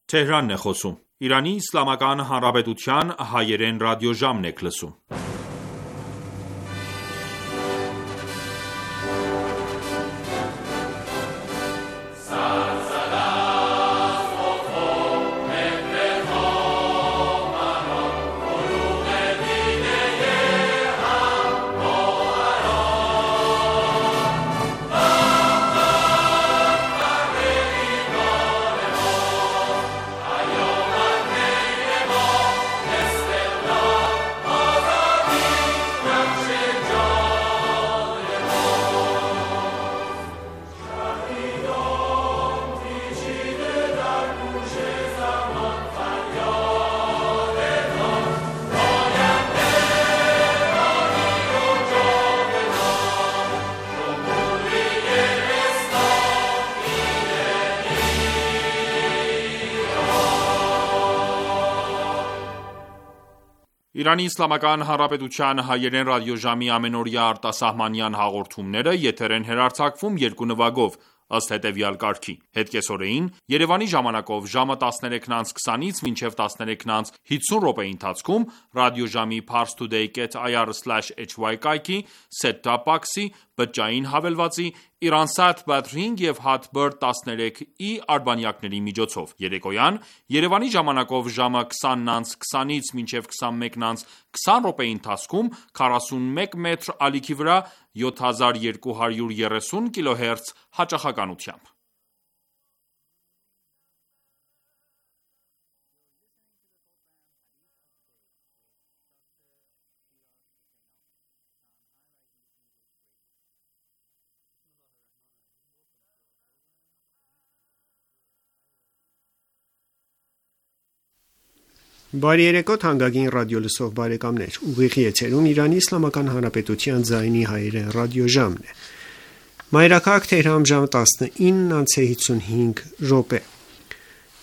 Թեհրանն է խոսում։ Իրանի Իսլամական Հանրապետության հայերեն ռադիոժամն եք լսում։ Իրանի Իսլամական Հանրապետության հայերեն ռադիոժամի ամենօրյա արտասահմանյան հաղորդումները եթեր են հեռարձակվում երկու նվագով, ըստ հետևյալ կարգի: Հետկեսօրեին Երևանի ժամանակով ժամը 13:20-ից մինչև 13:50 րոպեի ընթացքում ռադիոժամի parstoday.ir/hy կայքի, set-top box-ի, բջջային հավելվածի, Iransat Batring և Hatbird 13i արբանյակների միջոցով: Երեկոյան Երևանի ժամանակով ժամը 20:20-ից մինչև 21:20 րոպեի ընթացքում 41 մետր ալիքի վրա 7230 kHz հաճախականությամբ: Բարի երեկո թանկագին ռադիոլսող բարեկամներ: Ուղիղ եթերում Իրանի Իսլամական Հանրապետության ձայնի հայերեն ռադիոժամն է: Մայրաքաղաք Թեհրան ժամը 19:55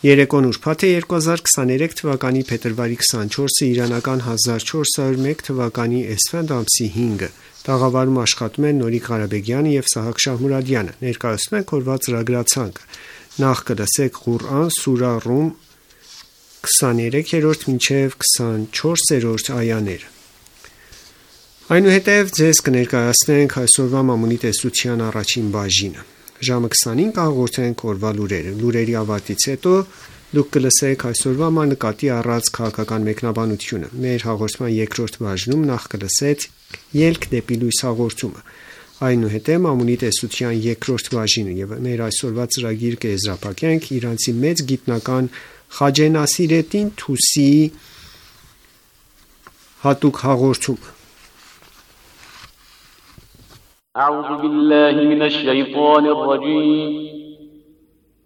Երեկոն ուրբաթ է 2023 թվականի փետրվարի 24-ը իրանական 1401 թվականի էսֆանդ ամսի 5-ը տաղավարում աշխատում են Նորիկ Ղարաբեգյանը և Սահակ Շահմուրադյանը: Ներկայացնում ենք օրվա ծրագրացանկը: Նախ կլսեք Ղուրան սուրա Ռում 23-րդ մինչև 24-րդ այաներ: Այնուհետև ձեզ կներկայացնենք այսօրվա մամուլի տեսության առաջին բաժինը: Ժամը 20-ին կհաղորդենք օրվա լուրերը: Լուրերի ավարտից հետո դուք կլսեք այսօրվա նկատի առած քաղաքական մեկնաբանությունը: Մեր հաղորդման երկրորդ բաժնում նախ կլսեք Ելք դեպի լույս հաղորդումը: Այնուհետև մամուլի տեսության երկրորդ բաժինը և մեր այսօրվա ծրագիրը կեզրափակենք իրանցի մեծ գիտնական Խաջե Նասիրեդդին Թուսիի հատուկ հաղորդումը: أعوذ بالله من الشيطان الرجيم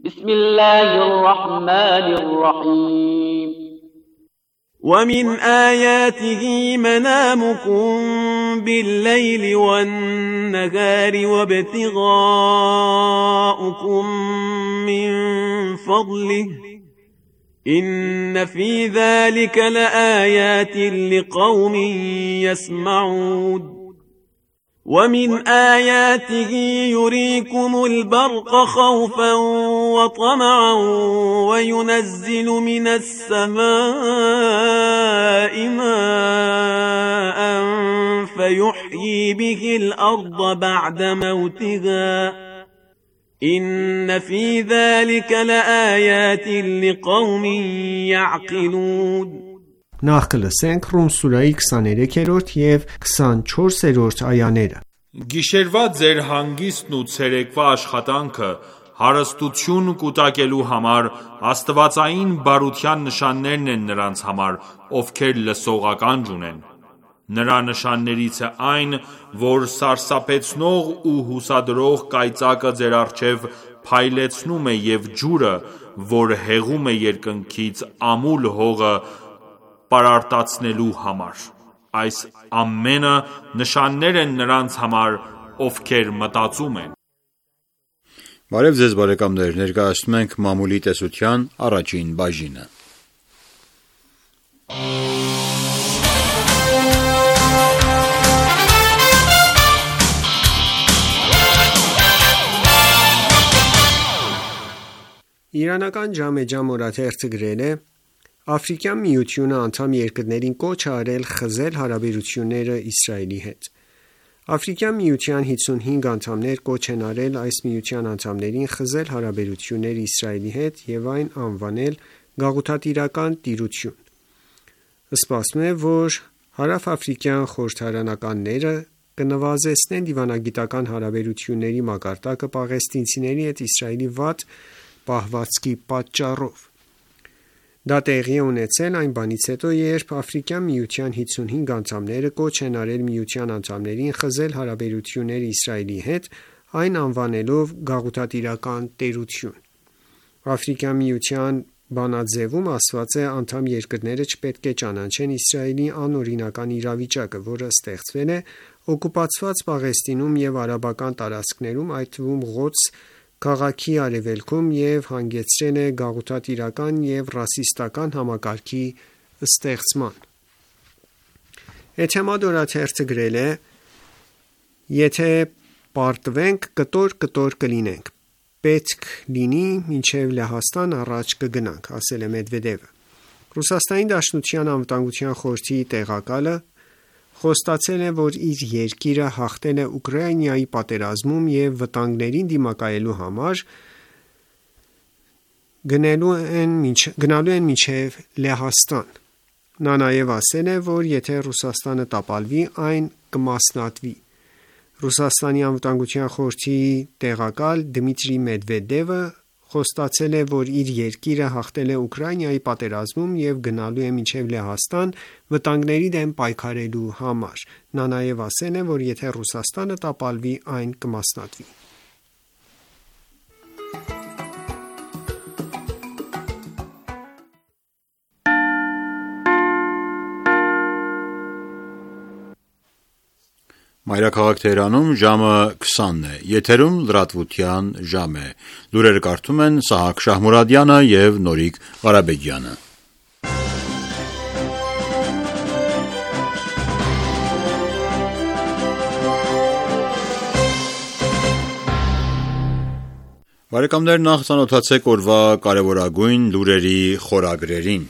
بسم الله الرحمن الرحيم ومن آياته منامكم بالليل والنهار وابتغاؤكم من فضله إن في ذلك لآيات لقوم يسمعون ومن آياته يريكم البرق خوفا وطمعا وينزل من السماء ماء فيحيي به الأرض بعد موتها إن في ذلك لآيات لقوم يعقلون Նախ կլսենք Ռում սուրայի 23-րդ և 24-րդ այաները: Գիշերվա ձեր հանգիստն ու ցերեկվա աշխատանքը հարստություն կուտակելու համար աստվածային բարության նշաններն են նրանց համար, ովքեր լսողական ունեն: Նրա նշաններից է այն, որ սարսափեցնող ու հուսադրող կայծակը ձեր առջև փայլեցնում է և ջուրը, որ հեղում է երկնքից ամուլ հողը պարարտացնելու համար: Այս ամենը նշաններ են նրանց համար, ովքեր մտածում են: Բարև ձեզ բարեկամներ, ներկայացնում ենք մամուլի տեսության առաջին բաժինը: Իրանական Ջամեջամ օրաթերթը գրել է. Աֆրիկյան միությունը անդամ երկրներին կոչ է արել խզել հարաբերությունները Իսրայելի հետ։ Աֆրիկյան միության 55 անդամներ կոչ են արել այս միության անդամներին խզել հարաբերությունները Իսրայելի հետ և այն անվանել գաղութատիրական տիրություն։ Սպասվում է, որ հարավաֆրիկյան խորհրդարանականները կնվազեցնեն դիվանագիտական հարաբերությունների մակարդակը պաղեստինցիների հետ Իսրայելի վատ պահվածքի պատճառով։ Դա տեղի է ունեցել այն բանից հետո, երբ Աֆրիկյան միության 55 անդամները կոչ են արել միության անդամներին խզել հարաբերությունները Իսրայելի հետ, այն անվանելով գաղութատիրական տերություն։ Աֆրիկյան միության բանաձևում ասված է, անդամ երկրները չպետք է ճանաչեն Իսրայելի անօրինական իրավիճակը, որը ստեղծվել է օկուպացված Պաղեստինում և արաբական տարածքներում, այդ թվում Ղոդս քաղաքի արևելքում և հանգեցրել է գաղութատիրական և ռասիստական համակարգի ստեղծման։ Էթեմադ օրաթերթը գրել է. Եթե պարտվենք, կտոր կլինենք, պետք լինի մինչև Լեհաստան առաջ կգնանք, ասել է Մեդվեդևը։ Ռուսաստանի Դաշնության անվտանգության խորհրդի տեղակալը խոստացել է, որ իր երկիրը հաղթել է Ուկրաինայի պատերազմում և վտանգներին դիմակայելու համար գնալու են մինչև Լեհաստան։ Նա նաև ասել է, որ եթե Ռուսաստանը տապալվի, այն կմասնատվի։ Ռուսաստանի անվտանգության խորհրդի տեղակալ Դմիտրի Մեդվեդևը խոստացել է, որ իր երկիրը հաղթել է Ուկրաինայի պատերազմում և գնալու է մինչև Լեհաստան վտանգների դեմ պայքարելու համար։ Նա նաև ասել է, որ եթե Ռուսաստանը տապալվի, այն կմասնատվի։ Մայրաքաղաք Թեհրանում ժամը 20 է, եթերում լրատվության ժամ է։ Լուրերը կարդում են Սահակ Շահմուրադյանը և Նորիկ Ղարաբեգյանը։ Բարեկամներ, նախ ծանոթացեք օրվա կարևորագույն լուրերի խորագրերին։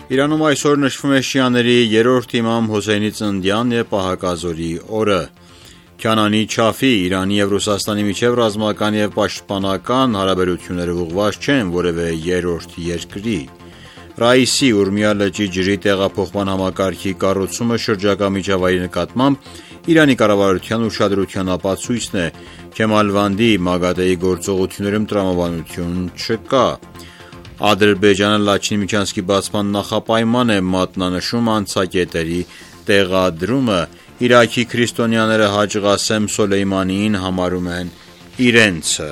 Իրանում այսօր նշվում է շիաների երրորդ իմամ Հոսեյնի ծննդյան և պահակազորի օրը։ Քյանանի Չաֆի Իրանի և Ռուսաստանի միջև ռազմական և պաշտպանական հարաբերությունները ուղղված չեն որևէ երրորդ երկրի։ Ռաիսի Ուրմիա լճի ջրի տեղափոխման համակարգի կառուցումը շրջակա միջավայրի նկատմամբ Իրանի կառավարության ուշադրության ապացույցն է։ Քեմալվանդի Մագադեի գործողություններում տրամաբանություն չկա։ Ադրբեջանը Լաչինի միջանցքի բացման նախապայման է մատնանշում անցակետերի տեղադրումը։ Իրաքի քրիստոնյաները Հաջ Ղասեմ Սոլեյմանիին համարում են իրենցը։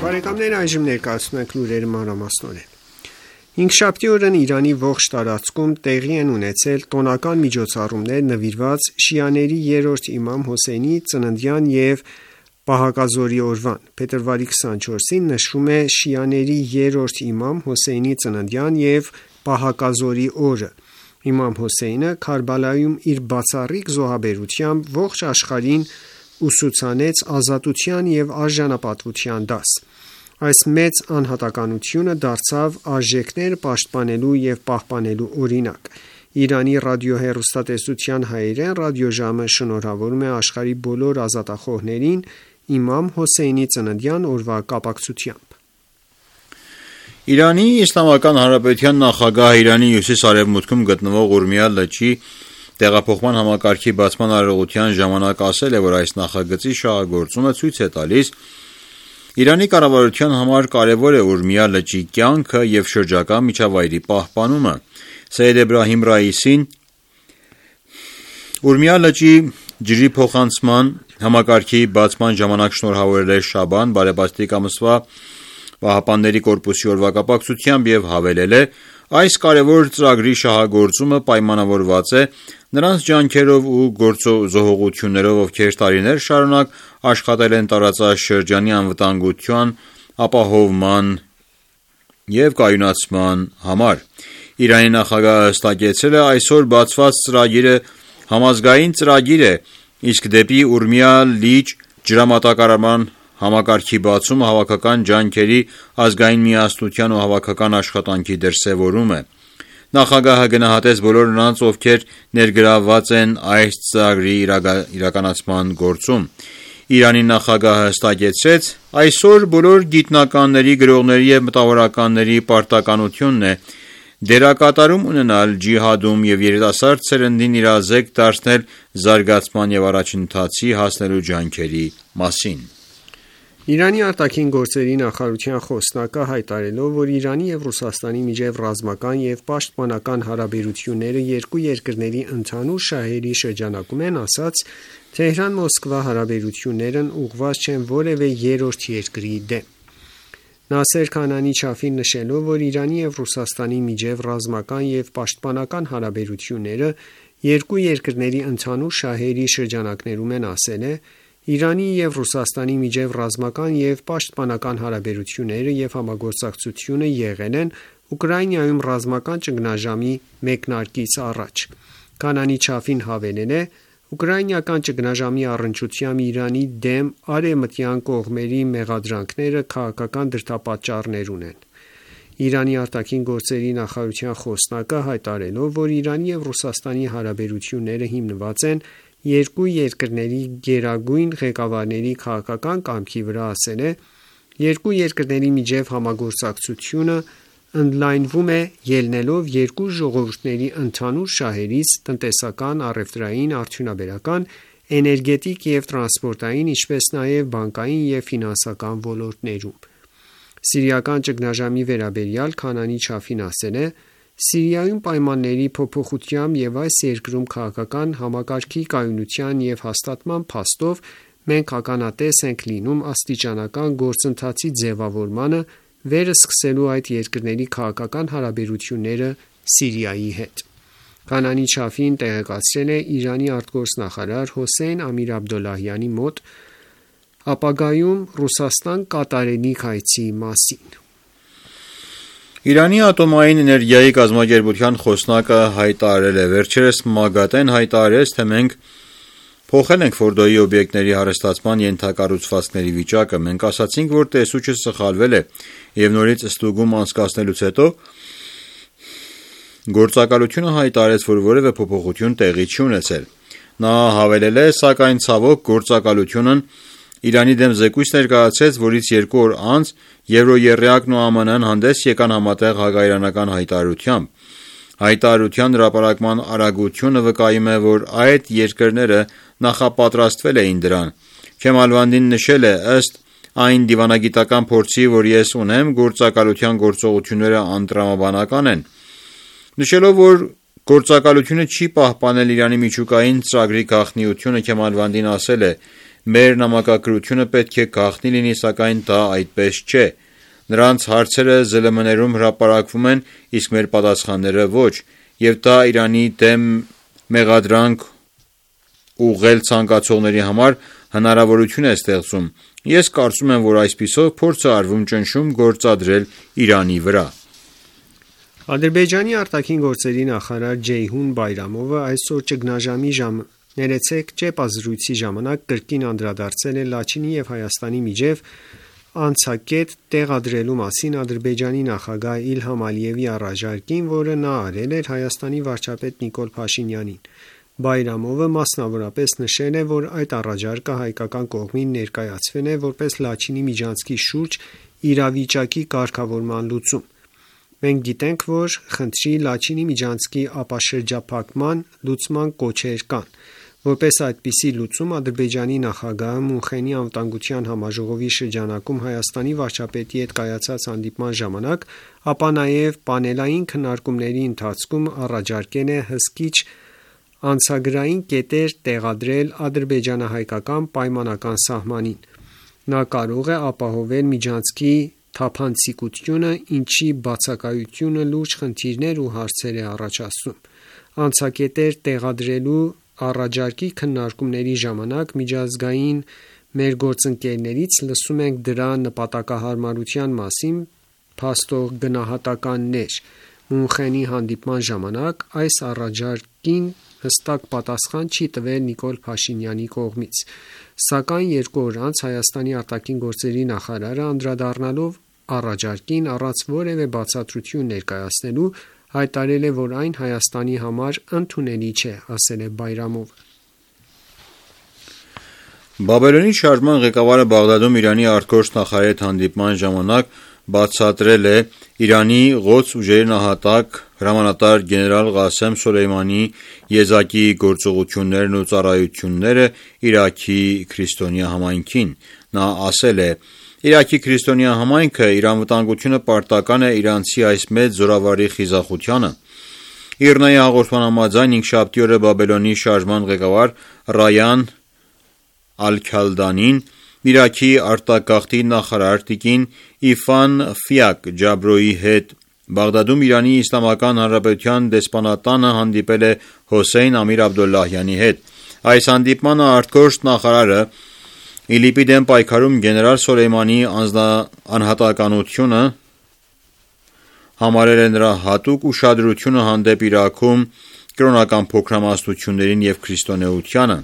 Բարեկամներ, այժմ ներկայացնում ենք լուրերը մանրամասնորեն։ Հինգշաբթի օրն Իրանի ողջ տարածքում տեղի են ունեցել տոնական միջոցառումներ նվիրված շիաների երրորդ իմամ Հոսեյնի ծննդյան և պահակազորի օրվան։ Փետրվարի 24-ին նշվում է շիաների երրորդ իմամ Հոսեյնի ծննդյան և պահակազորի օրը։ Իմամ Հոսեյնը Քարբալայում իր բացառիկ զոհաբերությամբ ողջ աշխարհին ուսուցանեց ազատության և արժանապատվության դաս։ Այս մեծ անհատականությունը դարձավ արժեքներ պաշտպանելու և պահպանելու օրինակ։ Իրանի ռադիոհեռուստատեսության հայերեն ռադիոժամը շնորհավորում է աշխարհի բոլոր ազատախոհներին իմամ Հոսեյնի ծննդյան օրվա կապակցությամբ։ Իրանի Իսլամական Հանրապետության նախագահը Իրանի հյուսիս-արևմուտքում գտնվող Ուրմիա լճի տեղափոխման համակարգի բացման արարողության ժամանակ ասել է, որ այս նախագծի շահագործումը ցույց է տալիս Իրանի կառավարության համար կարևոր է Ուրմիա լճի կյանքը և շրջակա միջավայրի պահպանումը։ Սեյեդ Էբրահիմ Ռաիսին Ուրմիա լճի ջրի փոխանցման համակարգի բացման ժամանակ շնորհավորել է Շաբան բարեբաստիկ ամսվա ԻՀՊԿ-ի օրվա կապակցությամբ և հավելել է. այս կարևոր ծրագրի շահագործումը պայմանավորված է նրանց ջանքերով ու գործազողություններով, ովքեր տարիներ շարունակ աշխատել են տարածաշրջանի անվտանգության ապահովման և կայունացման համար։ Իրանի նախագահը հստակեցրել է, այսօր բացված ծրագիրը համազգային ծրագիր է, իսկ դեպի Ուրմիա լիճ ջրամատակարարման համակարգի բացումը հավաքական ջանքերի, ազգային միասնության ու հավաքական աշխատանքի դրսևորում է։ Նախագահը գնահատեց բոլոր նրանց, ովքեր ներգրավված են այս ծրագրի իրականացման գործում։ Իրանի նախագահը հստակեցրեց, այսօր բոլոր գիտնականների, գրողների և մտավորականների պարտականությունն է դերակատարում ունենալ ջիհադում և երիտասարդ սերնդին իրազեկ դարձնել զարգացման և առաջընթացի հասնելու ջանքերի մասին։ Իրանի արտաքին գործերի նախարարության խոսնակը հայտարարելով, որ Իրանի և Ռուսաստանի միջև ռազմական և պաշտպանական հարաբերությունները երկու երկրների ընդհանուր շահերի շրջանակում են, ասաց. Թեհրան-Մոսկվա հարաբերություններն ուղղված չեն որևէ երրորդ երկրի դեմ։ Նասեր Քանանի Չաֆին նշելով, որ Իրանի և Ռուսաստանի միջև ռազմական և պաշտպանական հարաբերությունները երկու երկրների ընդհանուր շահերի շրջանակներում են, ասել է. Իրանի և Ռուսաստանի միջև ռազմական և պաշտպանական հարաբերությունները և համագործակցությունը եղել են Ուկրաինայում ռազմական ճգնաժամի մեկնարկից առաջ։ Քանանի Չաֆին հավելել է. Ուկրաինական ճգնաժամի առնչությամբ Իրանի դեմ արևմտյան կողմերի մեղադրանքները քաղաքական դրդապատճառներ ունեն։ Իրանի արտաքին գործերի նախարարության խոսնակը հայտարարելով, որ Իրանի և Ռուսաստանի հարաբերությունները հիմնված են երկու երկրների գերագույն ղեկավարների քաղաքական կամքի վրա, ասել է. երկու երկրների միջև համագործակցությունը ընդլայնվում է ելնելով երկու ժողովուրդների ընդհանուր շահերից տնտեսական, առևտրային, արդյունաբերական, էներգետիկ և տրանսպորտային, ինչպես նաև բանկային և ֆինանսական ոլորտներում։ Սիրիական ճգնաժամի վերաբերյալ Քանանի Չաֆին ասել է. Սիրիայում պայմանների փոփոխությամբ և այս երկրում քաղաքական համակարգի կայունության և հաստատման փաստով մենք ականատես ենք լինում աստիճանական գործընթացի ձևավորմանը վերսկսելու այդ երկրների քաղաքական հարաբերությունները Սիրիայի հետ։ Քանանի Չաֆին տեղեկացրել է Իրանի արտգործնախարար Հոսեյն Ամիր-Աբդոլլահյանի մոտ ապագայում Ռուսաստան կատարելիք այցի մասին։ Իրանի ատոմային էներգիայի կազմակերպության խոսնակը հայտարարել է. Վերջերս ՄԱԳԱՏԷ-ն հայտարարեց, թե մենք փոխել ենք Ֆորդոյի օբյեկտների հարստացման ենթակառուցվածքների վիճակը։ Մենք ասացինք, որ տեսուչը սխալվել է և նորից ստուգում անցկացնելուց հետո գործակալությունը հայտարարեց, որ որևէ փոփոխություն տեղի չի ունեցել։ Նա հավելել է, սակայն ցավոք գործակալությունն Իրանի դեմ զեկույց ներկայացրեց, որից 2 օր անց Եվրոեռյակն ու ԱՄՆ-ն հանդես եկան համատեղ հակաիրանական հայտարարությամբ։ Հայտարարության հրապարակման արագությունը վկայում է, որ այդ երկրները նախապատրաստվել էին դրան։ Քեմալվանդին նշել է. ըստ այն դիվանագիտական փորձի, որ ես ունեմ, գործակալության գործողությունները անտրամաբանական են։ Նշելով, որ գործակալությունը չի պահպանել Իրանի միջուկային ծրագրի գաղտնիությունը, Քեմալվանդին ասել է. մեր նամակագրությունը պետք է գաղտնի լինի, սակայն դա այդպես չէ։ Նրանց հարցերը ԶԼՄ-ներում հրապարակվում են, իսկ մեր պատասխանները ոչ, և դա Իրանի դեմ մեղադրանք ուղղել ցանկացողների համար հնարավորություն է ստեղծում։ Ես կարծում եմ, որ այսպիսով փորձ է արվում ճնշում գործադրել Իրանի վրա։ Ադրբեջանի արտաքին գործերի նախարար Ջեյհուն Բայրամովը այսօր ճգնաժամի զրույցի ժամանակ կրկին անդրադարձել է Լաչինի և Հայաստանի միջև անցակետ տեղադրելու մասին Ադրբեջանի նախագահ Իլհամ Ալիևի առաջարկին, որը նա արել էր Հայաստանի վարչապետ Նիկոլ Փաշինյանին։ Բայրամովը մասնավորապես նշել է, որ այդ առաջարկը հայկական կողմին ներկայացվել է որպես Լաչինի միջանցքի շուրջ իրավիճակի կարգավորման լուծում։ Մենք գիտենք, որ խնդրի Լաչինի միջանցքի ապաշրջափակման լուծման կոչեր կան։ Որպես այդպիսի լուծում Ադրբեջանի նախագահը Մունխենի անվտանգության համաժողովի շրջանակում Հայաստանի վարչապետի հետ կայացած հանդիպման ժամանակ, ապա նաև պանելային քննարկումների ընթացքում առաջարկել է հսկիչ անցագրային կետեր տեղադրել ադրբեջանահայկական պայմանական սահմանին։ Նա կարող է ապահովել միջանցքի թափանցիկությունը, ինչի բացակայությունը լուրջ խնդիրներ ու հարցեր է առաջացնում։ Անցակետեր տեղադրելու առաջարկի քննարկումների ժամանակ միջազգային մեր գործընկերներից լսում ենք դրա նպատակահարմարության մասին փաստող գնահատականներ, Մունխենի հանդիպման ժամանակ այս առաջարկին հստակ պատասխան չի տվել Նիկոլ Փաշինյանի կողմից, սակայն 2 օր անց Հայաստանի արտաքին գործերի նախարարը անդրադառնալով առաջարկին առանց որևէ բացատրություն ներկայացնելու հայտարարել է, որ այն Հայաստանի համար ընդունելի չէ, ասել է Բայրամովը։ Բաբելոնի շարժման ղեկավարը Բաղդադում Իրանի արտգործնախարարի հետ հանդիպման ժամանակ բացատրել է Իրանի Ղոդս ուժերի նահատակ հրամանատար գեներալ Ղասեմ Սոլեյմանի եզակի գործողություններն ու ծառայությունները Իրաքի քրիստոնյա համայնքին։ Նա ասել է. Իրաքի քրիստոնյա համայնքը իր անվտանգությունը պարտական է իրանցի այս մեծ զորավարի խիզախությանը։ ԻՌՆԱ-ի հաղորդման համաձայն 5-շաբթի օրը Բաբելոնի շարժման ղեկավար Ռայան Ալ-Քալդանին Իրաքի արտագաղթի նախարար տիկին Իֆան Ֆիակ Ջաբրոյի հետ Բաղդադում Իրանի Իսլամական Հանրապետության դեսպանատանը հանդիպել է Հոսեյն Ամիր Աբդոլլահյանի հետ։ Այս հանդիպմանը արտգործնախարարը ԻԼԻՊ-ի դեմ պայքարում գեներալ Սոլեյմանի անհատականությունը համարել է նրա հատուկ ուշադրությունը հանդեպ Իրաքում կրոնական փոքրամասնություններին և քրիստոնեությանը։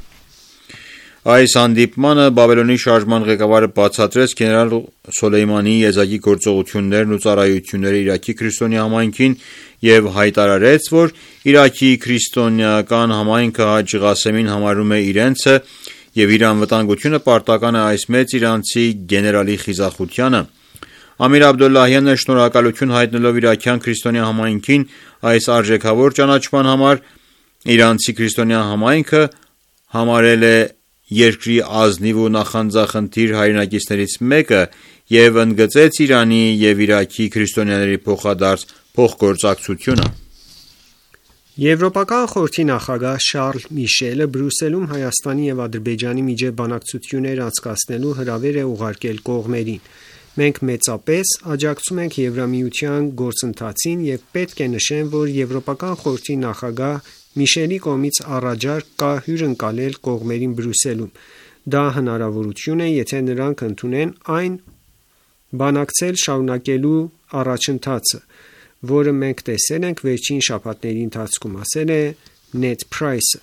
Այս հանդիպմանը Բաբելոնի շարժման ղեկավարը բացատրեց գեներալ Սոլեյմանի եզակի գործողություններն ու ծառայությունները Իրաքի քրիստոնյա համայնքին և հայտարարեց, որ Իրաքի քրիստոնեական համայնքը Հաջի Ղասեմին համարում է իրենցը և իր անվտանգությունը պարտական է այս մեծ իրանցի գեներալի խիզախությանը։ Ամիր Աբդոլլահյանը շնորհակալություն հայտնելով իրաքյան քրիստոնյա համայնքին այս արժեքավոր ճանաչման համար իրանցի քրիստոնյա համայնքը համարել է երկրի ազնիվ ու նախանձախնդիր հայրենակիցներից մեկը և ընդգծեց Իրանի և Իրաքի քրիստոնյաների փոխադարձ փոխգործակցությունը։ Եվրոպական խորհրդի նախագահ Շարլ Միշելը Բրյուսելում Հայաստանի և Ադրբեջանի միջև բանակցություններ անցկացնելու հրավեր է ուղարկել կողմերին։ Մենք մեծապես աջակցում ենք Եվրամիության գործընթացին և պետք է նշեմ, որ Եվրոպական խորհրդի նախագահ Միշելի կողմից առաջարկ կա հյուրընկալել կողմերին Բրյուսելում։ Դա հնարավորություն է, եթե նրանք ընդունեն այն բանակցել շարունակելու առաջընթացը, որը մենք տեսել ենք վերջին շաբաթների ընթացքում, ասել է Նեդ Փրայսը։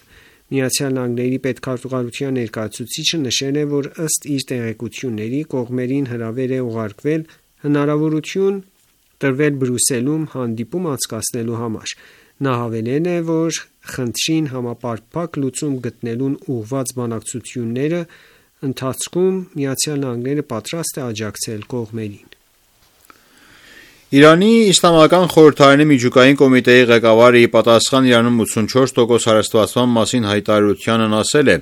ԱՄՆ-ի պետքարտուղարության ներկայացուցիչը նշել է, որ ըստ իր տեղեկությունների կողմերին հրավեր է ուղարկվել հնարավորություն տրվել Բրյուսելում հանդիպում անցկացնելու համար։ Նա հավելել է, որ խնդրին համապարփակ լուծում գտնելուն ուղղված բանակցությունների ընթացքում ԱՄՆ-ն պատրաստ է աջակցել կողմերին։ Իրանի Իսլամական խորհրդարանի միջուկային կոմիտեի ղեկավարը ի պատասխան Իրանում 84% հարստվածման մասին հայտարարությանն ասել է.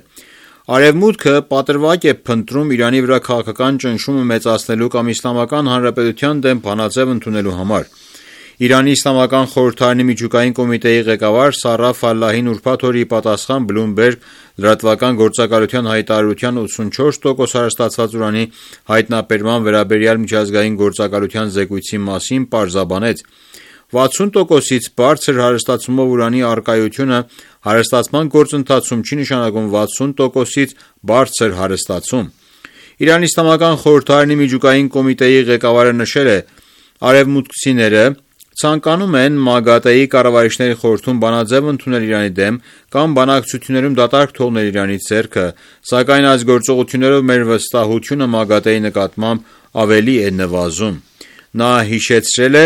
Արևմուտքը պատրվակ է փնտրում Իրանի վրա քաղաքական ճնշումը մեծացնելու կամ Իսլամական Հանրապետության դեմ բանաձև ընդունելու համար։ Իրանի Իսլամական խորհրդարանի միջուկային կոմիտեի ղեկավար Սարա Ֆալլահին ուրբաթ օրը ի պատասխան Bloomberg լրատվական գործակալության հայտարարության 84% հարստացված ուրանի հայտնաբերման վերաբերյալ միջազգային գործակալության զեկույցի մասին պարզաբանեց. 60%-ից բարձր հարստացումով ուրանի առկայությունը հարստացման գործընթացում չի նշանակում 60%-ից բարձր հարստացում։ Իրանի Իսլամական խորհրդարանի միջուկային կոմիտեի ղեկավարը նշել է. արևմուտքցիները ցանկանում են ՄԱԳԱՏԵ-ի կառավարիչների խորհրդում բանաձև ընդունել Իրանի դեմ կամ բանակցություններում դատարկ թողնել Իրանի ձեռքը, սակայն այս գործողություններով մեր վստահությունը ՄԱԳԱՏԵ-ի նկատմամբ ավելի է նվազում։ Նա հիշեցրել է.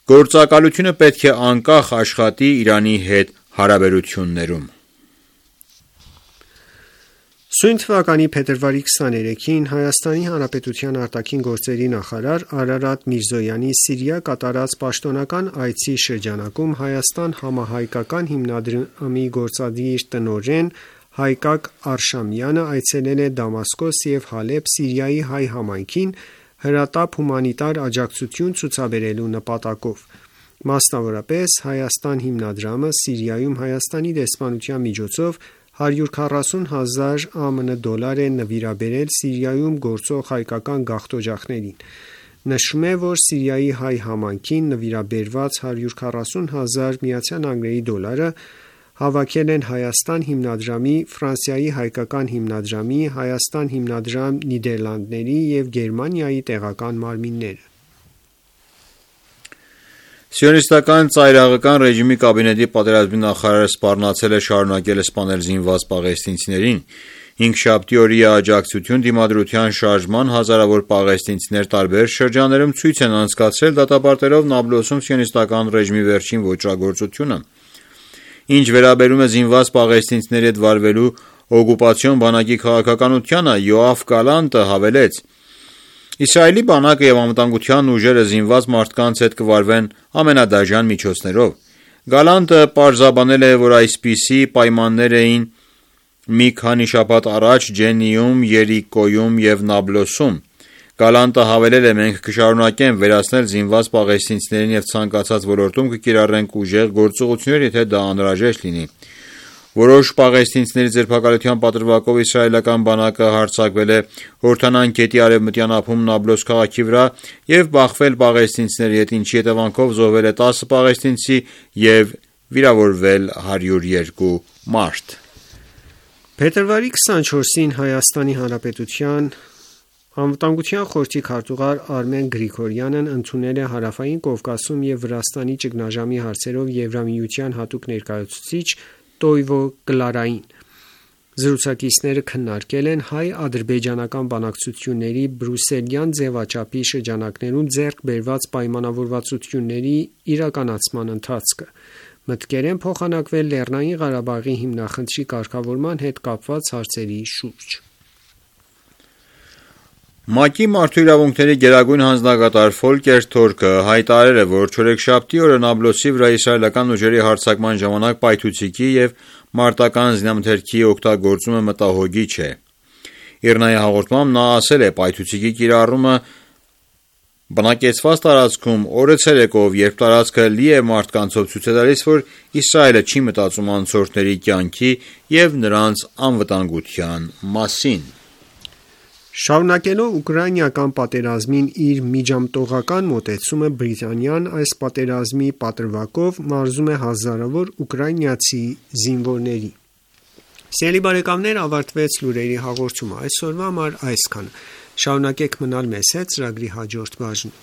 գործակալությունը պետք է անկախ աշխատի Իրանի հետ հարաբերություններում։ Սույն թվականի փետրվարի 23-ին Հայաստանի Հանրապետության արտաքին գործերի նախարար Արարատ Միրզոյանի Սիրիա կատարած պաշտոնական այցի շրջանակում Հայաստան համահայկական հիմնադրամի գործադիր տնօրեն Հայկակ Արշամյանը այցելել է Դամասկոս և Հալեբ Սիրիայի հայ համայնքին հրատապ հումանիտար աջակցություն ցուցաբերելու նպատակով։ Մասնավորապես Հայաստան հիմնադրամը Սիրիայում Հայաստանի դեսպանության միջոցով 140,000 ԱՄՆ դոլար է նվիրաբերել Սիրիայում գործող հայկական գաղթօջախներին։ Նշվում է, որ Սիրիայի հայ համայնքին նվիրաբերված 140,000 ԱՄՆ դոլարը հավաքել են Հայաստան հիմնադրամի, Ֆրանսիայի հայկական հիմնադրամի, Հայաստան հիմնադրամ Նիդերլանդների և Գերմանիայի տեղական մարմինները։ Սիոնիստական ծայրահեղական ռեժիմի կաբինետի պատերազմի նախարարը սպառնացել է շարունակել սպանել զինված պաղեստինցիներին։ Հինգշաբթի օրի աջակցություն դիմադրության շարժման հազարավոր պաղեստինցիներ տարբեր շրջաններում ցույց են անցկացրել դատապարտելով Նաբլոսում սիոնիստական ռեժիմի վերջին ոճրագործությունը։ Ինչ վերաբերում է զինված պաղեստինցիների հետ վարվելու օկուպացիոն բանակի քաղաքականությանը, Յոաֆ Գալանտը հավելեց. Իսրայելի բանակը եւ անվտանգության ուժերը զինված մարդկանց հետ կվարվեն ամենադաժան միջոցներով։ Գալանտը պարզաբանել է, որ այսպիսի պայմաններ էին մի քանի շաբաթ առաջ Ջենիում, Երիկոյում եւ Նաբլոսում։ Գալանտը հավելել է. մենք կշարունակենք վերացնել զինված պաղեստինցիներին եւ ցանկացած ոլորտում կկիրառենք ուժեղ գործողություններ, եթե դա անհրաժեշտ լինի։ Որոշ պաղեստինցիների ձերբակալության պատրվակով իսրայելական բանակը հարձակվել է Հորդանան գետի արևմտյան ափում Նաբլոս քաղաքի վրա եւ բախվել պաղեստինցիների հետ, ինչի հետևանքով զոհվել է 10 պաղեստինցի եւ վիրավորվել 102 մարդ։ Փետրվարի 24-ին Հայաստանի Հանրապետության Անվտանգության խորհրդի քարտուղար Արմեն Գրիգորյանն ընդունել է Հարավային Կովկասում եւ Վրաստանի ճգնաժամի հարցերով Եվրամիության հատուկ ներկայացուցիչ Տոյվո Կլարային։ Զրուցակիցները քննարկել են հայ-ադրբեջանական բանակցությունների բրուսելյան ձևաչափի շրջանակներում ձեռք բերված պայմանավորվածությունների իրականացման ընթացքը։ Մտքեր են փոխանակվել Լեռնային Ղարաբաղի հիմնախնդրի կարգավորման հետ կապված հարցերի շուրջ։ ՄԱԿ-ի մարդու իրավունքների գերագույն հանձնագետար Ֆոլկեր Թուրքը հայտարարել է, որ չորեքշաբթի օրը Նաբլոսի վրա իսրայելական ուժերի հարձակման ժամանակ պայթուցիկի եւ մարտական զինամթերքի օգտագործումը մտահոգիչ է։ Իրնայի հաղորդմամբ նա ասել է. պայթուցիկի կիրառումը բնակեցված տարածքում օրը ցերեկով, երբ տարածքը լի է մարդկանցով, ցույց է տալիս, որ Իսրայելը չի մտածում անցորդների կյանքի եւ նրանց անվտանգության մասին։ Շարունակելով ուկրաինական պատերազմին իր միջամտողական մոտեցումը, Բրիտանիան այս պատերազմի պատրվակով մարզում է հազարավոր ուկրաինացի զինվորների։ Սիրելի բարեկամներ, ավարտվեց լուրերի հաղորդումը։ Այսօրվա համար այսքանը։ Շարունակեք մնալ մեզ հետ ծրագրի հաջորդ բաժնում։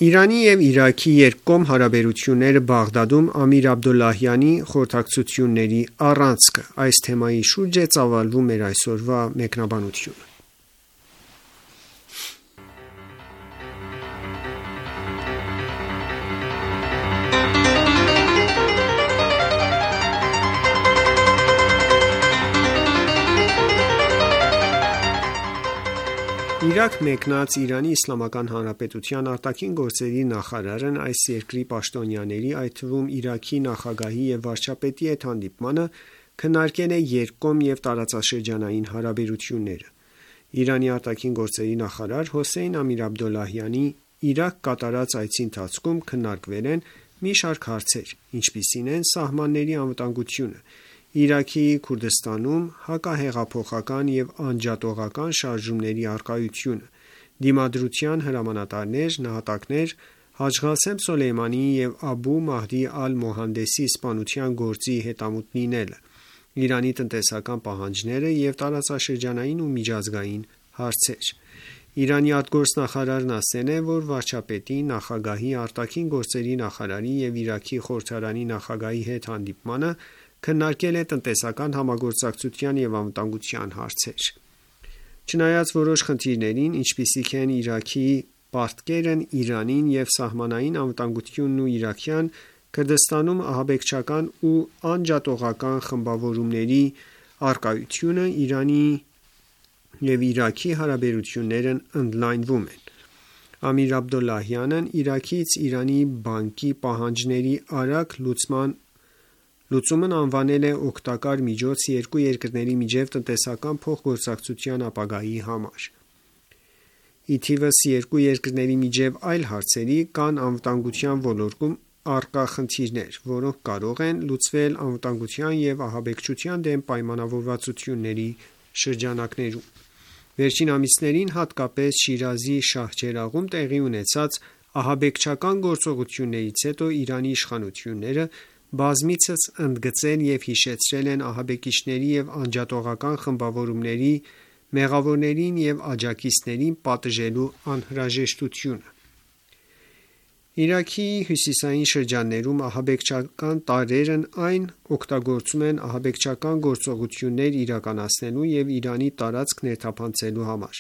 Իրանի և Իրաքի երկկողմ հարաբերությունները Բաղդադում Ամիր Աբդոլլահյանի խորհրդակցությունների առանցքը։ Այս թեմայի շուրջ է ծավալվում մեր այսօրվա մեկնաբանությունը։ Իրաք մեկնած Իրանի Իսլամական Հանրապետության արտաքին գործերի նախարարն այս երկրի պաշտոնյաների, այդ թվում Իրաքի նախագահի և վարչապետի հետ հանդիպմանը քննարկել է երկկողմ և տարածաշրջանային հարաբերությունները։ Իրանի արտաքին գործերի նախարար Հոսեյն Ամիր Աբդոլլահյանի Իրաք կատարած այցի ընթացքում քննարկվել են մի շարք հարցեր, ինչպիսին են սահմանների անվտանգությունը, Իրաքի Քուրդստանում հակահեղափոխական և անջատողական շարժումների առկայությունը, դիմադրության հրամանատարներ, նահատակներ, Հաջ Ղասեմ Սոլեյմանիի և Աբու Մահդի Ալ-Մոհանդեսի սպանության գործի հետամուտ լինելը, Իրանի տնտեսական պահանջները և տարածաշրջանային ու միջազգային հարցեր։ Իրանի արտգործնախարարն ասել է, որ վարչապետի, նախագահի, արտաքին գործերի նախարարի և Իրաքի խորհրդարանի նախագահի հետ հանդիպմանը քննարկել է տնտեսական համագործակցության և անվտանգության հարցեր։ Չնայած որոշ խնդիրներին, ինչպիսիք են Իրաքի պարտքերն Իրանին և սահմանային անվտանգությունն ու Իրաքյան Քրդստանում ահաբեկչական ու անջատողական խմբավորումների առկայությունը, Իրանի և Իրաքի հարաբերություններն ընդլայնվում են։ Ամիր Աբդոլլահյանն Իրաքից Իրանի բանկի պահանջների արագ լուծումն անվանել է օգտակար միջոց երկու երկրների միջև տնտեսական փոխգործակցության ապագայի համար։ Ի թիվս երկու երկրների միջև այլ հարցերի կան անվտանգության ոլորտում առկա խնդիրներ, որոնք կարող են լուծվել անվտանգության և ահաբեկչության դեմ պայմանավորվածությունների շրջանակներում։ Վերջին ամիսներին, հատկապես Շիրազի Շահջերաղում տեղի ունեցած Ահաբեկչական գործողություններից հետո Իրանի իշխանությունները բազմիցս ընդգծել և հիշեցրել են ահաբեկիչների և անջատողական խմբավորումների մեղավորներին և աջակիցներին պատժելու անհրաժեշտությունը: Իրաքի հյուսիսային շրջաններում ահաբեկչական տարրերն այն օգտագործում են ահաբեկչական գործողություններ իրականացնելու և Իրանի տարածք ներթափանցելու համար: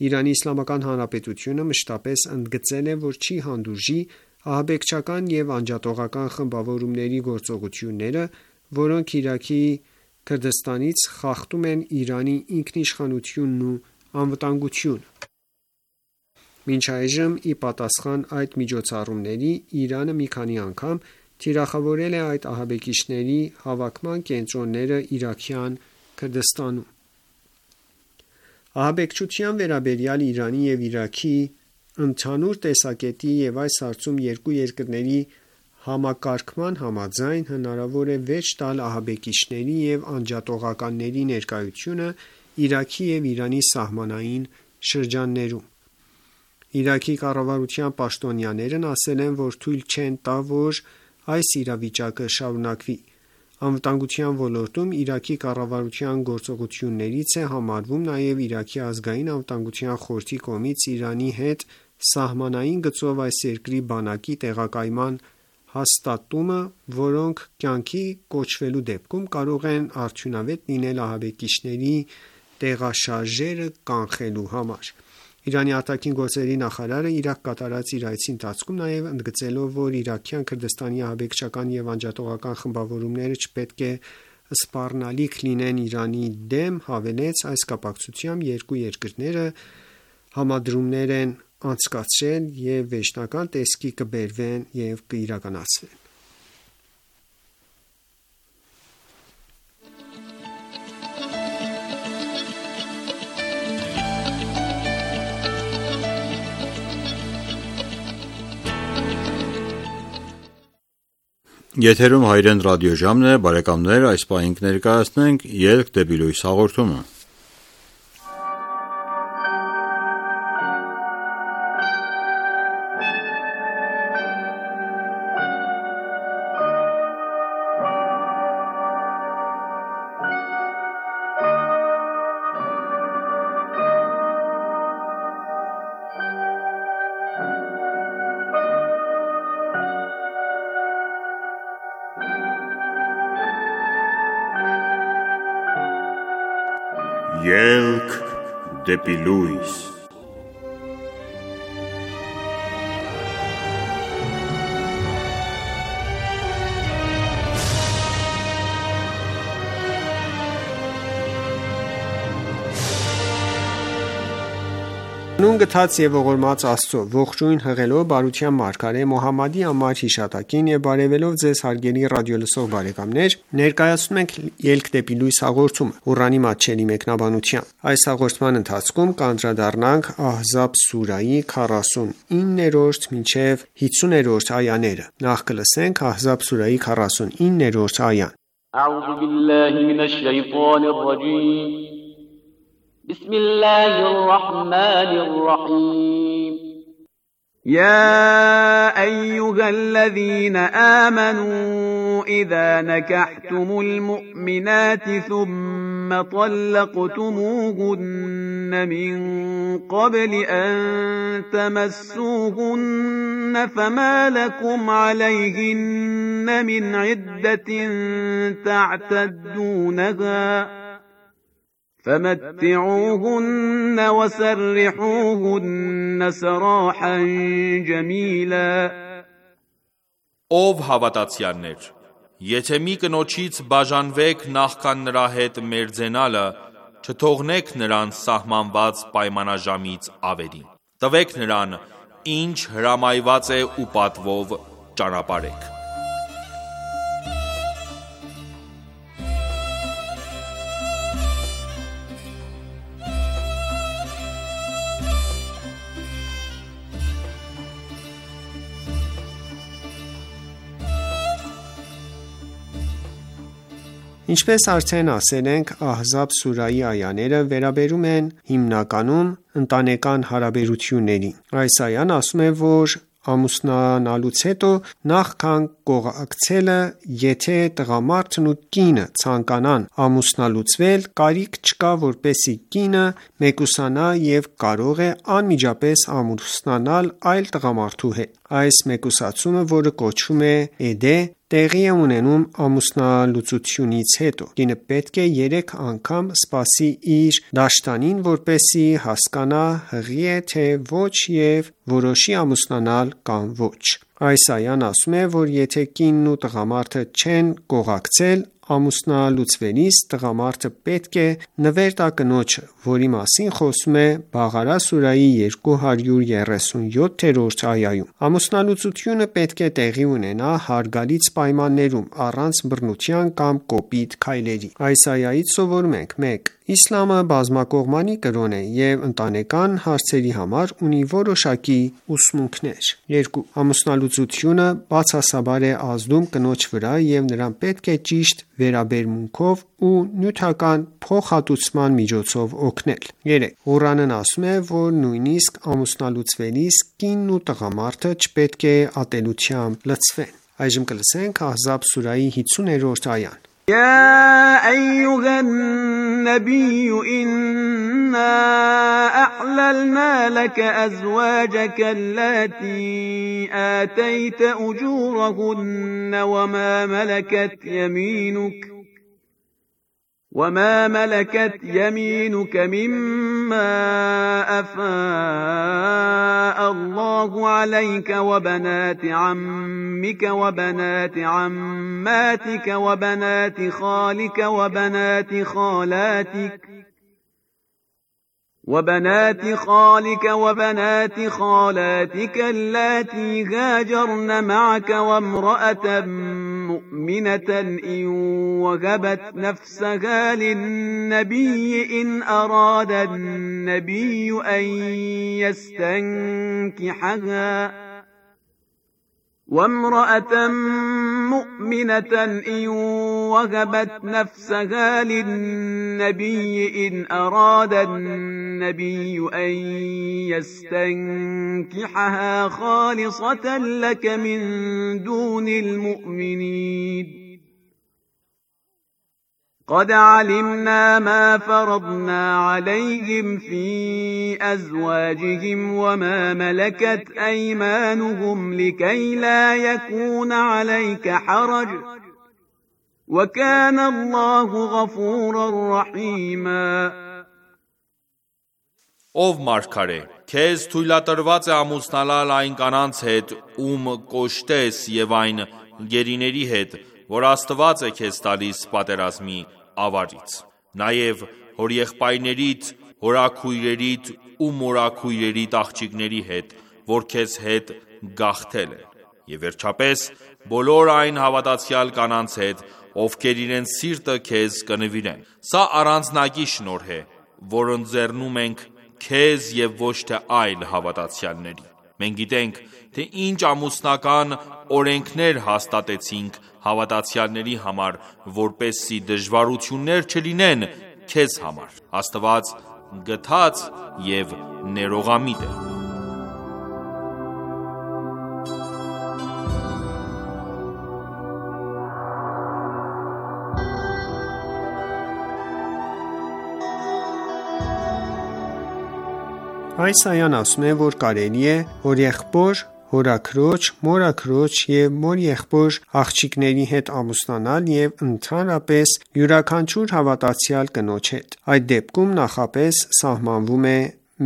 Իրանի Իսլամական Հանրապետությունը մշտապես ընդգծել է, որ չի հանդուրժի ահաբեկչական և անջատողական խմբավորումների գործողությունները, որոնք Իրաքի Քրդստանից խախտում են Իրանի ինքնիշխանությունն ու անվտանգությունը: Մինչ այժմ, ի պատասխան այդ միջոցառումների, Իրանը մի քանի անգամ թիրախավորել է այդ ահաբեկիչների հավաքման կենտրոնները Իրաքյան Քրդստանում: Ահաբեկչության վերաբերյալ Իրանի և Իրաքի ընդհանուր տեսակետի և այս հարցում երկու երկրների համակարգման համաձայն, հնարավոր է վերջ տալ ահաբեկիչների և անջատողականների ներկայությունը Իրաքի և Իրանի սահմանային շրջաններում: Իրաքի կառավարության պաշտոնյաներն ասել են, որ թույլ չեն տա, որ այս իրավիճակը շարունակվի: Անվտանգության ոլորտում Իրաքի կառավարության գործողություններից է համարվում նաև Իրաքի ազգային անվտանգության խորհրդի կողմից Իրանի հետ սահմանային գծով այս երկրի բանակի տեղակայման հաստատումը, որոնք կյանքի կոչվելու դեպքում կարող են արդյունավետ լինել ահաբեկիչների տեղաշարժերը կանխելու համար: Իրանի ԱԳ նախարարը Իրաք կատարած իր այցի ընթացքում նաև ընդգծելով, որ Իրաքյան Քրդստանի ահաբեկչական և անջատողական խմբավորումները չպետք է սպառնալիք լինեն Իրանի դեմ, հավելեց. այս կապակցությամբ երկու երկրները համադրումներ են անցկացրել և վերջնական տեսքի կբերվեն և կիրականացվեն: Եթերում Հայրեն ռադիոժամն է, բարեկամներ, այս պահին կներկայացնենք «Ելք դեպի լույս» հաղորդումը: Ելք դեպի լույս: Հանուն գթած և ողորմած Աստծո: Ողջույն հղելով բարության մարգարե Մոհամմադի անմար հիշատակին եւ բարեւելով Ձեզ հարգելի ռադիոլսող բարեկամներ, ներկայացնում ենք «Ելք դեպի լույս» հաղորդումը, Ղուրանի մատչելի մեկնաբանությամբ: Այս հաղորդման ընթացքում կանդրադառնանք Ահզաբ սուրահի 49-50-րդ այաները: Նախ կլսենք Ահզաբ սուրահի 49-րդ այան: بسم الله الرحمن الرحيم يا أيها الذين آمنوا إذا نكحتم المؤمنات ثم طلقتموهن من قبل أن تمسوهن فما لكم عليهن من عدة تعتدونها فمتعوهن وسرحوهن سراحا جميلا Ով հավատացյալներ, եթե մի կնոջից բաժանվեք նախքան նրա հետ մերձենալը, չթողնեք նրան սահմանված պայմանաժամից ավելին: Տվեք նրան, ինչ հրամայված է ու պատվով ճանապարհեք: Ինչպես արդեն ասել ենք, Ահզաբ սուրահի այաները վերաբերում են հիմնականում ընտանեկան հարաբերություններին: Այս այան ասում է, որ ամուսնանալուց հետո նախքան կողակցելը, եթե տղամարդն ու կինը ցանկանան ամուսնալուծվել, կարիք չկա, որպեսզի կինը մեկուսանա և կարող է անմիջապես ամուսնանալ այլ տղամարդու հետ: Այս մեկուսացումը, որը կոչվում է էդե, տեղի է ունենում ամուսնալուծությունից հետո: Կինը պետք է 3 անգամ սպասի իր դաշտանին, որպեսզի հասկանա հղի է թե ոչ և որոշի ամուսնանալ կամ ոչ: Այս այան ասում է, որ եթե կինն ու տղամարդը չեն կողակցել, ամուսնալուծվելիս տղամարդը պետք է նվեր տա կնոջը, որի մասին խոսվում է Բաղարա սուրահի 237-րդ այայում: Ամուսնալուծությունը պետք է տեղի ունենա հարգալից պայմաններում, առանց բռնության կամ կոպիտ քայլերի: Այս այայից սովորում ենք. 1. Իսլամը բազմակողմանի կրոն է և ընտանեկան հարցերի համար ունի որոշակի ուսմունքներ: 2. Ամուսնալուծությունը բացասաբար է ազդում կնոջ վրա և նրան պետք է ճիշտ վերաբերմունքով ու նյութական փոխհատուցման միջոցով օգնել: 3. Ղուրանն ասում է, որ նույնիսկ ամուսնալուծվելիս կինն ու տղամարդը չպետք է ատելությամբ լցվեն: Ահզաբ սուրահի 50-րդ այա يا أيها النبي إنا أحللنا لك أزواجك التي آتيت أجورهن وما ملكت يمينك مما أفاء الله عليك وبنات عمك وبنات عماتك وبنات خالك وبنات خالاتك اللاتي هاجرن معك وامرأة مؤمنة إن وهبت نفسها للنبي إن أراد النبي أن يستنكحها وامرأة مؤمنة إن وهبت نفسها للنبي إن أراد النبي أن يستنكحها خالصة لك من دون المؤمنين قد علمنا ما فرضنا عليهم في أزواجهم وما ملكت أيمانهم لكي لا يكون عليك حرج وكان الله غفورا رحيما Ով մարգարե, քեզ թույլատրված է ամուսնանալ այն կանանց հետ, ում կոշտես և այն գերիների հետ, որ Աստված է քեզ տալիս պատերազմի ավարից: Նաև հորեղբայրներիդ, հորաքույրերիդ ու մորաքույրերիդ աղջիկների հետ, որ քեզ հետ գաղթել են: Եվ վերջապես, բոլոր այն հավատացյալ կանանց հետ, ովքեր իրենց սիրտը քեզ կնվիրեն: Սա առանձնակի շնորհ է, որ ընձեռնում ենք քեզ և ոչ թե այլ հավատացյալների: Մենք գիտենք, թե ինչ ամուսնական օրենքներ հաստատեցինք հավատացյալների համար, որպեսզի դժվարություններ չլինեն քեզ համար: Աստված գթած և ներողամիտ է: Այս այան ասում է, որ կարելի է հորեղբոր, հորաքրոջ, մորաքրոջ և մորեղբոր աղջիկների հետ ամուսնանալ և ընդհանրապես յուրաքանչյուր հավատացյալ կնոջ հետ: Այդ դեպքում նախապես սահմանվում է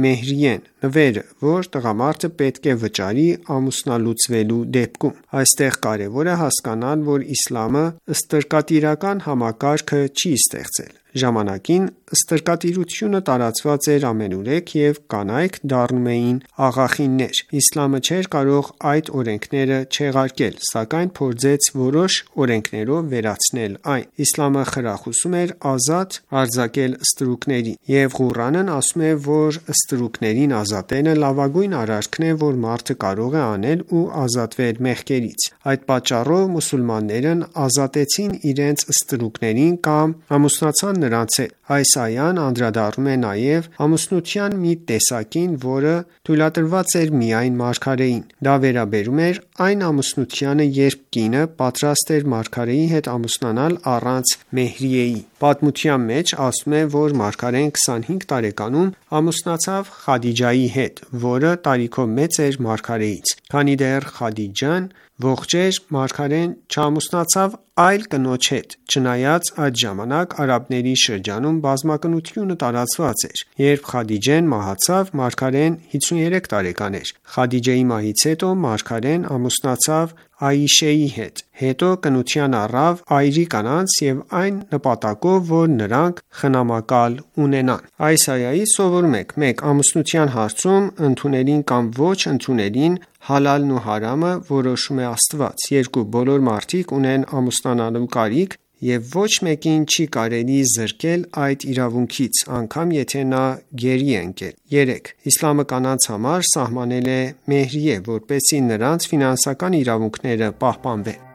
մեհրիեն, նվերը, որ տղամարդը պետք է վճարի ամուսնալուծվելու դեպքում: Այստեղ կարևոր է հասկանալ, որ իսլամը ստրկատիրական համակարգ չի ստեղծել: Ժամանակին ստրկատիրությունը տարածված էր ամենուրեք և կանայք դառնում էին աղախիններ: Իսլամը չէր կարող այդ օրենքները չեղարկել, սակայն փորձեց որոշ օրենքներով վերացնել այն: Իսլամը խրախուսում էր ազատ արձակել ստրուկներին: Եվ Ղուրանն ասում է, որ ստրուկներին ազատելը լավագույն արարքն է, որ մարդը կարող է անել ու ազատվել մեղքերից: Այդ պատճառով մուսուլմաններն ազատեցին իրենց ստրուկներին կամ ամուսնացան նրանց հետ: Այս այան անդրադառնում է նաև ամուսնության մի տեսակին, որը թույլատրված էր միայն մարգարեին: Դա վերաբերում էր այն ամուսնությանը, երբ կինը պատրաստ էր մարգարեի հետ ամուսնանալ առանց մեհրիեի: Պատմության մեջ ասվում է, որ մարգարեն 25 տարեկանում ամուսնացավ Խադիջայի հետ, որը տարիքով մեծ էր մարգարեից: Քանի դեռ Խադիջան ողջ էր, մարգարեն չամուսնացավ այլ կնոջ հետ, չնայած այդ ժամանակ արաբների շրջանում բազմակնությունը տարածված էր: Երբ Խադիջեն մահացավ, մարգարեն 53 տարեկան էր: Խադիջեի մահից հետո մարգարեն ամուսնացավ Այիշեի հետ: Հետո կնության առավ այրի կանանց և այն նպատակով, որ նրանք խնամակալ ունենան: Այս այայից սովորում ենք. 1. Ամուսնության հարցում ընդունելին կամ ոչ ընդունելին հալալն ու հարամը որոշում է Աստված: 2. Բոլոր մարդիկ ունեն ամուսնանալու կարիք և ոչ մեկին չի կարելի զրկել այդ իրավունքից, անգամ եթե նա գերի է ընկել: 3. Իսլամը կանանց համար սահմանել է մեհրիե, որպեսզի նրանց ֆինանսական իրավունքները պահպանվեն: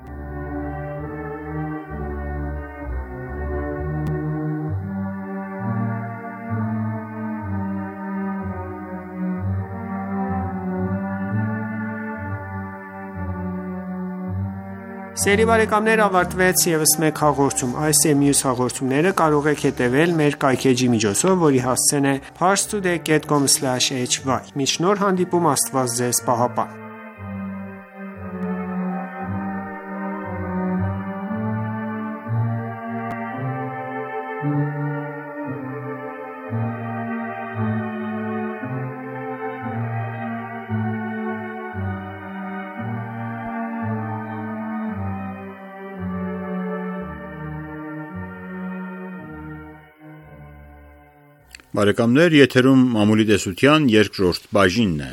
Ավարտվեց ևս մեկ հաղորդում: Այս և մյուս հաղորդումները կարող եք հետևել մեր կայքէջի միջոցով, որի հասցեն է parstoday.com/hy: Մինչ նոր հանդիպում, Աստված Ձեզ պահապան: Եթերում մամուլի տեսության երկրորդ բաժինն է: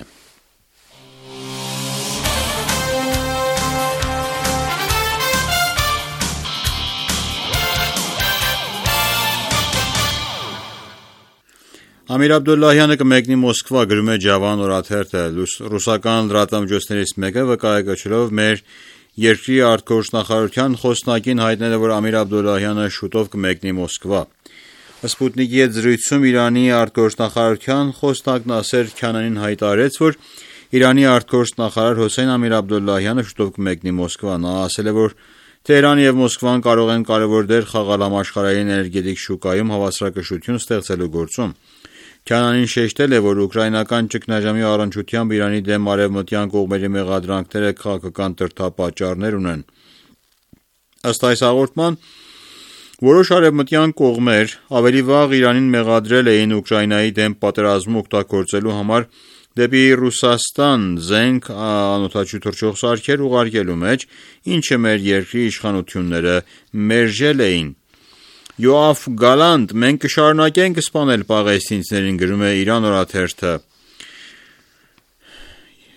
Ամիր Աբդոլլահյանը կմեկնի Մոսկվա, գրում է Ջավան օրաթերթը: Ռուսական լրատվամիջոցներից մեկը վկայակոչելով մեր երկրի արտգործնախարարության խոսնակին հայտնել է, որ Ամիր Աբդոլլահյանը շուտով կմեկնի Մոսկվա: Սպուտնիկի հետ զրույցում Իրանի արտգործնախարարության խոսնակ Նասեր Քանանին հայտարարեց, որ Իրանի արտգործնախարար Հոսեյն Ամիր Աբդոլլահյանը շուտով կմեկնի Մոսկվա: Նա ասել է, որ Թեհրանը և Մոսկվան կարող են կարևոր դեր խաղալ համաշխարհային էներգետիկ շուկայում հավասարակշռություն ստեղծելու գործում: Քանանին շեշտել է, որ ուկրաինական ճգնաժամի առնչությամբ Իրանի դեմ արևմտյան կողմերի մեղադրանքները քաղաքական դրդապատճառներ ունեն: Ըստ այս հաղորդման, որոշ արևմտյան կողմեր ավելի վաղ Իրանին մեղադրել էին Ուկրաինայի դեմ պատերազմում օգտագործելու համար դեպի Ռուսաստան զենք, անօդաչու թռչող սարքեր ուղարկելու մեջ, ինչը մեր երկրի իշխանությունները մերժել էին: Յոաֆ Գալանտ. Մենք կշարունակենք սպանել պաղեստինցիներին, գրում է Իրան օրաթերթը: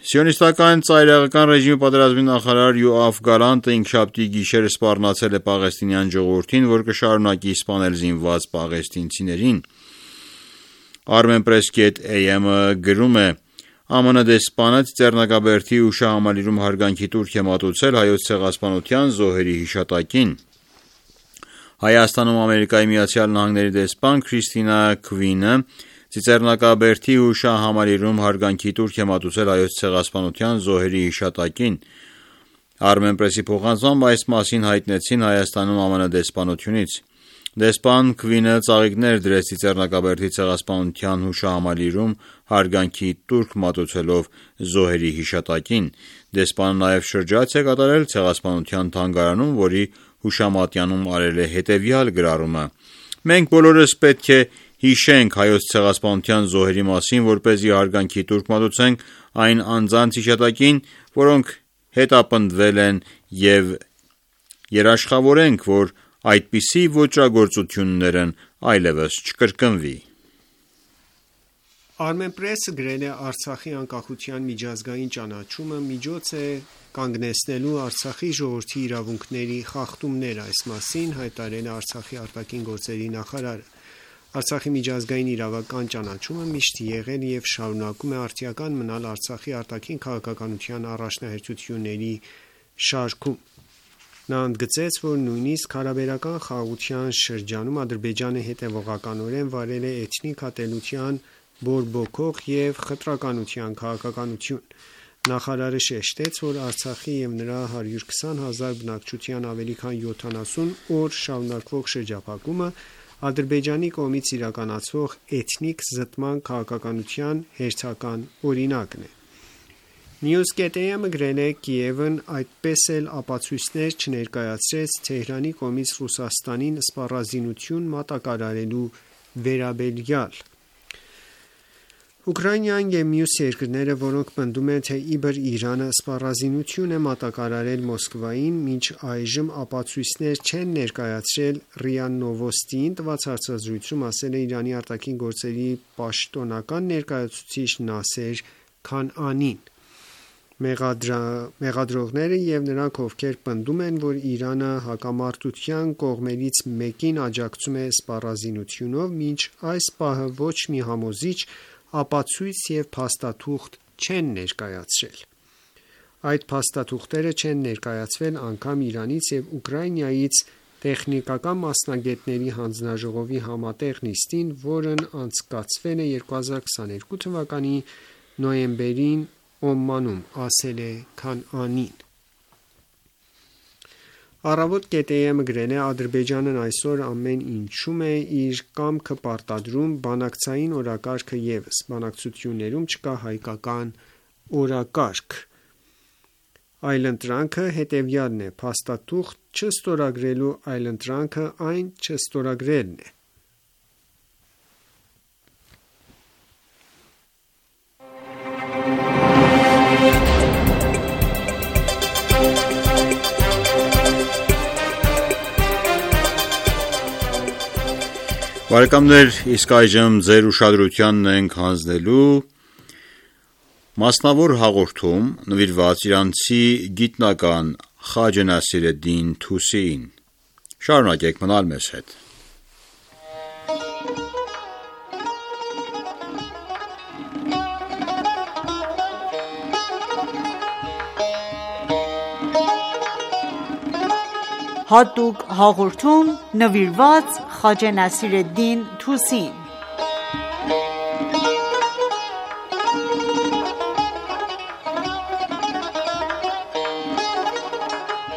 Սիոնիստական ծայրահեղական ռեժիմի պատերազմի նախարար Յոաֆ Գալանտը ինքշաբթի գիշեր սպառնացել է պաղեստինյան ժողովրդին, որ կշարունակի սպանել զինված պաղեստինցիներին: Armenpress.am-ը գրում է. ԱՄՆ դեսպանը Ծիծեռնակաբերդի ու շահամալիրում հարգանքի տուրք է մատուցել Հայոց ցեղասպանության զոհերի հիշատակին: Հայաստանում ԱՄՆ դեսպան Քրիստինա Քվինը Ծիծեռնակաբերդի ու շահամալիրում հարգանքի տուրք է մատուցել Հայոց ցեղասպանության զոհերի հիշատակին: Armenpress-ի փոխանցմամբ այս մասին հայտնեցին Հայաստանում ԱՄՆ դեսպանությունից: Դեսպան Քվինը ծաղիկներ դրեց Ծիծեռնակաբերդի ցեղասպանության հուշահամալիրում հարգանքի տուրք մատուցելով զոհերի հիշատակին: Դեսպանը նաև շրջայց է կատարել Ցեղասպանության թանգարանում, որի հուշամատյանում արել է հետևյալ գրառումը. Մենք բոլորս պետք է հիշենք Հայոց ցեղասպանության զոհերի մասին, որպեսզի հարգանքի տուրք մատուցենք այն անձանց հիշատակին, որոնք հետապնդվել են և երաշխավորենք, որ այդպիսի ոճրագործություններն այլևս չկրկնվի: Armenpress-ը գրել է. Արցախի անկախության միջազգային ճանաչումը միջոց է կանգնեցնելու Արցախի ժողովրդի իրավունքների խախտումները: Այս մասին հայտարարել է Արցախի ԱԳ նախարարը: Արցախի միջազգային իրավական ճանաչումը միշտ եղել և շարունակում է արդիական մնալ Արցախի արտաքին քաղաքականության առաջնահերթությունների շարքում: Նա ընդգծեց, որ նույնիսկ հարաբերական խաղաղության շրջանում Ադրբեջանը հետևողականորեն վարել է էթնիկ ատելության բորբոքող և խտրականության քաղաքականություն։ Նախարարը շեշտեց, որ Արցախի և նրա 120 հազար բնակչության ավելի քան 70 օր շարունակվող շրջափակումը Ադրբեջանի կողմից իրականացվող էթնիկ զտման քաղաքականության հերթական օրինակն է։ News.am-ը գրել է. Կիևն այդպես էլ ապացույցներ չներկայացրեց Թեհրանի կողմից Ռուսաստանին սպառազինություն մատակարարելու վերաբերյալ։ Ուկրաինան և մյուս երկրները, որոնք պնդում են, թե իբր Իրանը սպառազինություն է մատակարարել Մոսկվային, մինչ այժմ ապացույցներ չեն ներկայացրել, ՌԻԱ Նովոստիին տված հարցազրույցում ասել է Իրանի արտաքին գործերի պաշտոնական ներկայացուցիչ Նասեր Քանանին։ Մեղադրողները և նրանք, ովքեր պնդում են, որ Իրանը հակամարտության կողմերից մեկին աջակցում է սպառազինությունով, մինչ այս պահը ոչ մի համոզիչ ապացույց և փաստաթուղթ չեն ներկայացրել։ Այդ փաստաթուղթերը չեն ներկայացվել անգամ Իրանից և Ուկրաինայից տեխնիկական մասնագետների հանձնաժողովի համատեղ նիստին, որն անցկացվել է 2022 թվականի նոյեմբերին Օմանում, ասել է Քանանին։ Առավոտ.am-ը գրել է. Ադրբեջանն այսօր ամեն ինչում է իր կամքը պարտադրում, բանակցային օրակարգը ևս, բանակցություններում չկա հայկական օրակարգ։ Այլընտրանքը հետևյալն է, փաստաթուղթ չստորագրելու այլընտրանքը այն չստորագրելն է։ Բարեկամներ, իսկ այժմ ձեր ուշադրությանն ենք հանձնելու մասնավոր հաղորդում նվիրված իրանցի գիտնական Խաջե Նասիրեդդին Թուսիին։ Շարունակեք մնալ մեզ հետ։ Հատուկ հաղորդում նվիրված Խաջե Նասիրեդդին Թուսիին։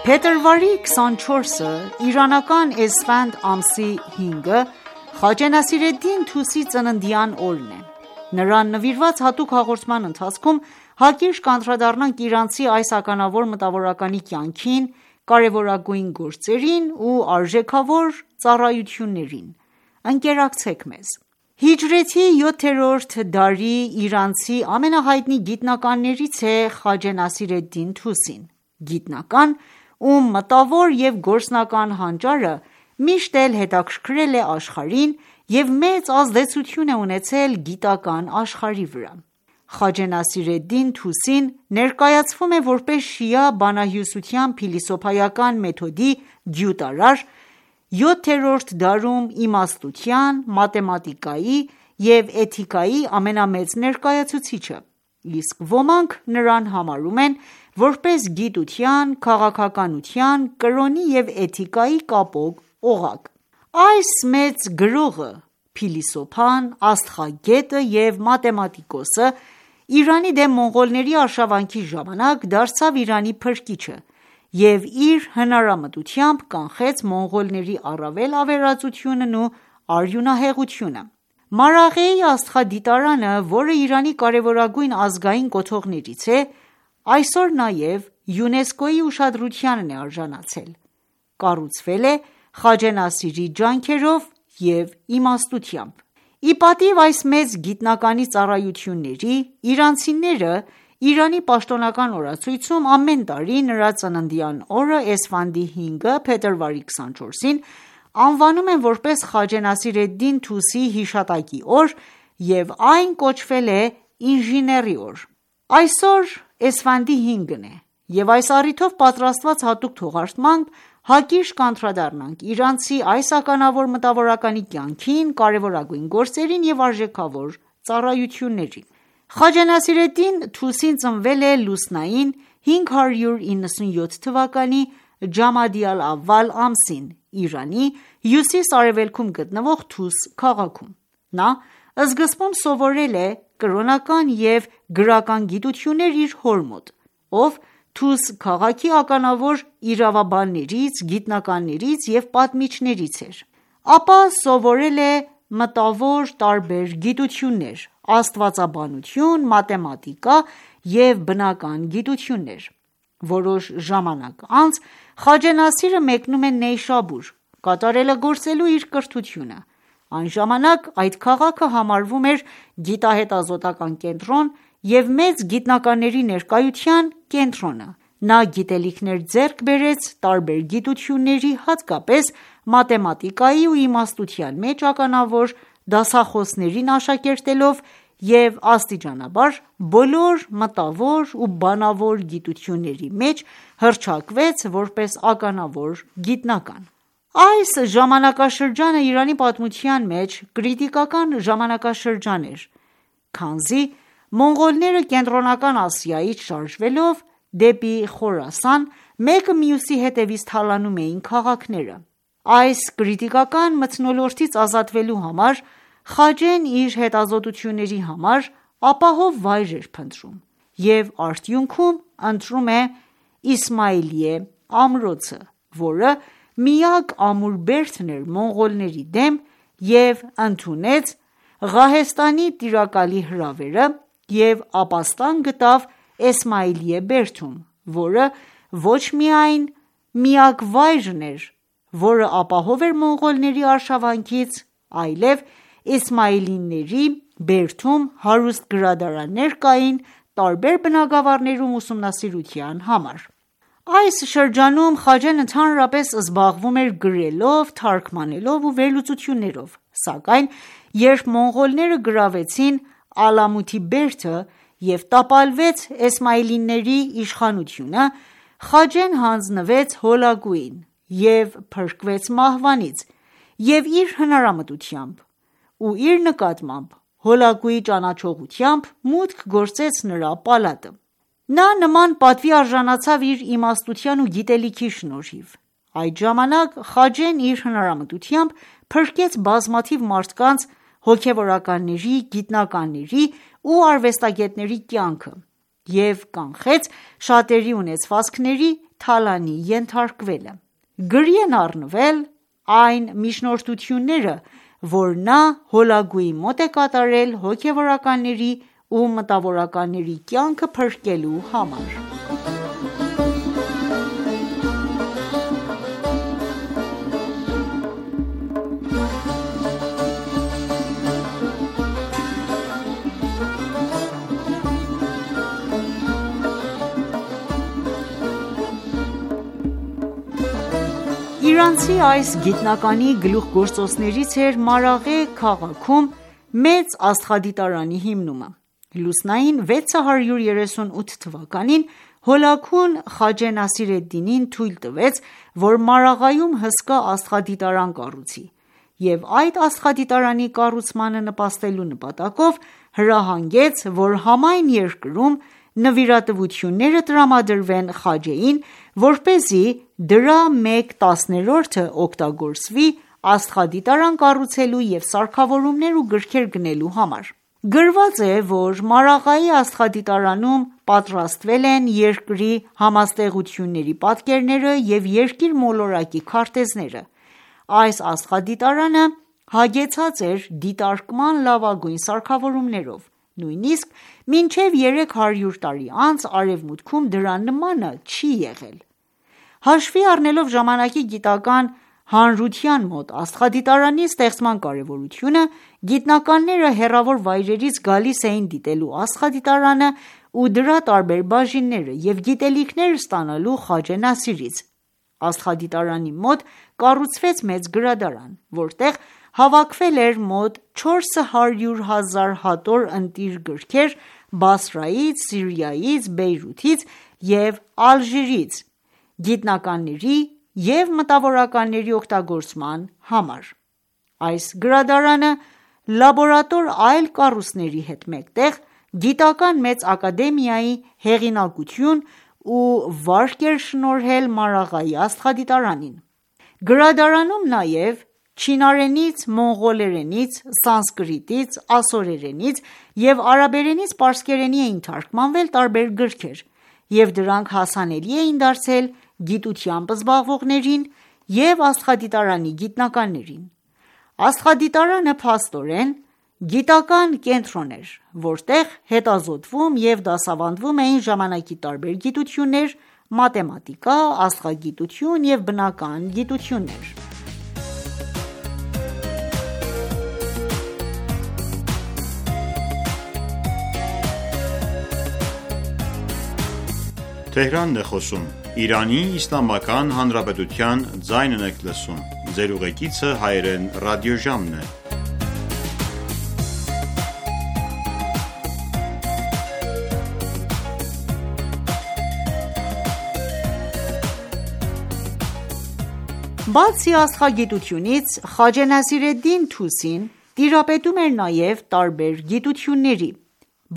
Փետրվարի 24-ը իրանական Էսֆանդ ամսի 5-ը Խաջե Նասիրեդդին Թուսի ծննդյան օրն է։ Նրան նվիրված հատուկ հաղորդման ընթացքում հակիրճ կանդրադառնանք իրանցի այս ականավոր մտավորականի կյանքին, կարևորագույն գործերին ու արժեքավոր ծառայություններին։ Ընկերակցեք մեզ։ Հիջրեթի 7-րդ դարի իրանցի ամենահայտնի գիտնականներից է Խաջե Նասիրեդդին Թուսին, գիտնական, ում մտավոր և գործնական հանճարը միշտ էլ հետաքրքրել է աշխարհին և մեծ ազդեցություն է ունեցել գիտական աշխարհի վրա։ Խաջե Նասիրեդդին Թուսին ներկայացվում է որպես շիա բանահյուսության փիլիսոփայական մեթոդի գյուտարար, 7-րդ դարում իմաստության, մաթեմատիկայի և էթիկայի ամենամեծ ներկայացուցիչը, իսկ ոմանք նրան համարում են որպես գիտության, քաղաքականության, կրոնի և էթիկայի կապող օղակ։ Այս մեծ գրողը, փիլիսոփան, աստղագետը և մաթեմատիկոսը Իրանի դեմ մոնղոլների արշավանքի ժամանակ դարձավ Իրանի փրկիչը և իր հնարամտությամբ կանխեց մոնղոլների առավել ավերածությունն ու արյունահեղությունը։ Մարաղեի աստղադիտարանը, որը Իրանի կարևորագույն ազգային կոթողներից է, այսօր նաև ՅՈՒՆԵՍԿՕ-ի ուշադրությանն է արժանացել։ Կառուցվել է Խաջե Նասիրի ջանքերով և իմաստությամբ։ Ի պատիվ այս մեծ գիտնականի ծառայությունների, իրանցիները Իրանի պաշտոնական օրացույցում ամեն տարի նրա ծննդյան օրը Էսֆանդի 5-ը փետրվարի 24-ին անվանում են որպես Խաջե Նասիրեդդին Թուսիի հիշատակի օր և այն կոչվել է ինժեների օր։ Այսօր Էսֆանդի 5-ն է և այս առիթով պատրաստված հատուկ թողարկմամբ հակիրճ կանդրադառնանք իրանցի այս ականավոր մտավորականի կյանքին, կարևորագույն գործերին և արժեքավոր ծառայություններին։ Խաջե Նասիրեդդին Թուսին ծնվել է լուսնային 597 թվականի Ջամադի ալ-ավվալ ամսին Իրանի հյուսիս-արևելքում գտնվող Թուս քաղաքում։ Նա սկզբում սովորել է կրոնական և գրական գիտություններ իր հոր մոտ, ով Թուս քաղաքի ականավոր իրավաբաններից, գիտնականներից և պատմիչներից էր։ Ապա սովորել է մտավոր տարբեր գիտություններ՝ աստվածաբանություն, մաթեմատիկա և բնական գիտություններ։ Որոշ ժամանակ անց Խաջե Նասիրը մեկնում է Նեյշաբուր՝ կատարելագործելու իր կրթությունը։ Այն ժամանակ այդ քաղաքը համարվում էր գիտահետազոտական կենտրոն և մեծ գիտնականների ներկայության կենտրոնը։ Նա գիտելիքներ ձեռք բերեց տարբեր գիտությունների, հատկապես մաթեմատիկայի ու իմաստության մեջ ականավոր դասախոսներին աշակերտելով և աստիճանաբար բոլոր մտավոր ու բանավոր գիտությունների մեջ հռչակվեց որպես ականավոր գիտնական։ Այս ժամանակաշրջանը Իրանի պատմության մեջ կրիտիկական ժամանակաշրջան էր, քանզի մոնղոլները Կենտրոնական Ասիայից շարժվելով դեպի Խորասան, մեկը մյուսի հետևից թալանում էին քաղաքները։ Այս կրիտիկական մթնոլորտից ազատվելու համար Խաջեն իր հետազոտությունների համար ապահով վայր էր փնտրում և արդյունքում ընտրում է Իսմայիլիե ամրոցը, որը միակ ամուր բերդն էր մոնղոլների դեմ և ընդունեց Ղահեստանի տիրակալի հրավերը և ապաստան գտավ Էսմայիլիե բերդում, որը ոչ միայն միակ վայրն էր, որը ապահով էր մոնղոլների արշավանքից, այլև Էսմայիլիների բերդում հարուստ գրադարաններ կային տարբեր բնագավառներում ուսումնասիրության համար։ Այս շրջանում Խաջեն ընդհանրապես զբաղվում էր գրելով, թարգմանելով ու վերլուծություններով, սակայն երբ մոնղոլները գրավեցին Ալամութի բերդը և տապալվեց Էսմայիլիների իշխանությունը, Խաջեն հանձնվեց Հոլագուին և փրկվեց մահվանից և իր հնարամտությամբ ու իր նկատմամբ Հոլագուի ճանաչողությամբ մուտք գործեց նրա պալատը։ Նա նման պատվի արժանացավ իր իմաստության ու գիտելիքի շնորհիվ։ Այդ ժամանակ Խաջեն իր հնարամտությամբ փրկեց բազմաթիվ մարդկանց, հոգևորականների, գիտնականների ու արվեստագետների կյանքը և կանխեց շատերի ունեցվածքների թալանի ենթարկվելը։ Գրի են առնվել այն միջնորդությունները, որ նա Հոլագուի մոտ է կատարել հոգևորականների ու մտավորականների կյանքը փրկելու համար։ Իրանցի այս գիտնականի գլուխգործոցներից էր Մարաղե քաղաքում մեծ աստղադիտարանի հիմնումը։ Լուսնային 638 թվականին Հոլագուն Խաջե Նասիր էդ-Դինին թույլ տվեց, որ Մարաղայում հսկա աստղադիտարան կառուցի և այդ աստղադիտարանի կառուցմանը նպաստելու նպատակով հրահանգեց, որ համայն երկրում նվիրատվությունները տրամադրվեն Խաջեին, որպեսզի դրա 1/10-ը օգտագործվի աստղադիտարան կառուցելու և սարքավորումներ ու գրքեր գնելու համար։ Գրված է, որ Մարաղայի աստղադիտարանում պատրաստվել են երկրի համաստեղությունների պատկերները և երկիր մոլորակի քարտեզները։ Այս աստղադիտարանը հագեցած էր դիտարկման լավագույն սարքավորումներով, նույնիսկ մինչև 300 տարի անց արևմուտքում դրա նմանը չի եղել։ Հաշվի առնելով ժամանակի գիտական հանրության մոտ աստղադիտարանի ստեղծման կարևորությունը, գիտնականները հեռավոր վայրերից գալիս էին դիտելու աստղադիտարանը ու դրա տարբեր բաժինները և գիտելիքներ ստանալու Խաջե Նասիրից։ Աստղադիտարանի մոտ կառուցվեց մեծ գրադարան, որտեղ հավաքվել էր մոտ 400,000 հատոր ընտիր գրքեր Բասրայից, Սիրիայից, Բեյրութից և Ալժիրից գիտնականների և մտավորականների օգտագործման համար։ Այս գրադարանը լաբորատոր այլ կառույցների հետ մեկտեղ գիտական մեծ ակադեմիայի հեղինակություն ու վարկ էր շնորհել Մարաղայի աստղադիտարանին։ Գրադարանում նաև չինարենից, մոնղոլերենից, սանսկրիտից, ասորերենից և արաբերենից պարսկերենի էին թարգմանվել տարբեր գրքեր և դրանք հասանելի էին դարձել գիտությամբ զբաղվողներին և աստղադիտարանի գիտնականներին։ Աստղադիտարանը փաստորեն գիտական կենտրոն էր, որտեղ հետազոտվում և դասավանդվում էին ժամանակի տարբեր գիտություններ, մաթեմատիկա, աստղագիտություն և բնական գիտություններ։ Բացի աստղագիտությունից, Խաջե Նասիր էդ-Դին Թուսին տիրապետում էր նաև տարբեր գիտությունների,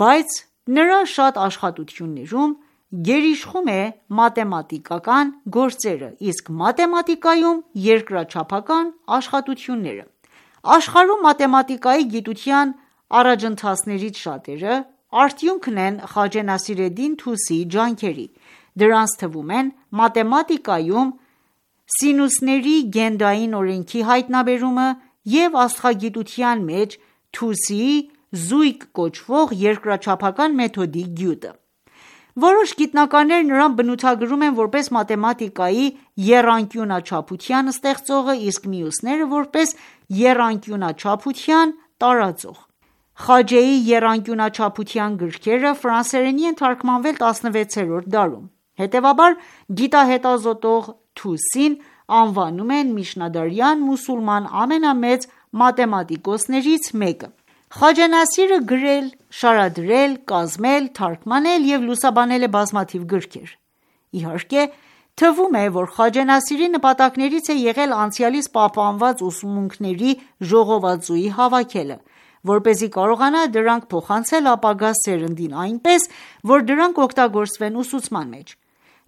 բայց նրա շատ աշխատություններում գերիշխում է մաթեմատիկական գործերը, իսկ մաթեմատիկայում երկրաչափական աշխատությունները։ Աշխարհում մաթեմատիկայի գիտության առաջընթացներից շատերը արդյունքն են Խաջե Նասիր էդ-Դին Թուսիի ջանքերի։ Դրանց թվում են մաթեմատիկայում սինուսների գնդային օրենքի հայտնաբերումը և աստղագիտության մեջ Թուսիի զույգ կոչվող երկրաչափական մեթոդի գյուտը։ Որոշ գիտնականներ նրան բնութագրում են որպես մաթեմատիկայի եռանկյունաչափության ստեղծողը, իսկ մյուսները որպես եռանկյունաչափության տարածող։ Խաջեի եռանկյունաչափության գրքերը ֆրանսերենի են թարգմանվել 16-րդ դարում։ Հետևաբար գիտահետազոտող Թուսին անվանում են միջնադարյան մուսուլման ամենամեծ մաթեմատիկոսներից մեկը։ Խաջե Նասիրը գրել, շարադրել, կազմել, թարգմանել և լուսաբանել է բազմաթիվ գրքեր։ Իհարկե, թվում է, որ Խաջե Նասիրի նպատակներից է եղել անցյալից պահպանված ուսմունքների ժողովածուի հավաքելը, որպեսզի կարողանա դրանք փոխանցել ապագա սերնդին այնպես, որ դրանք օգտագործվեն ուսուցման մեջ։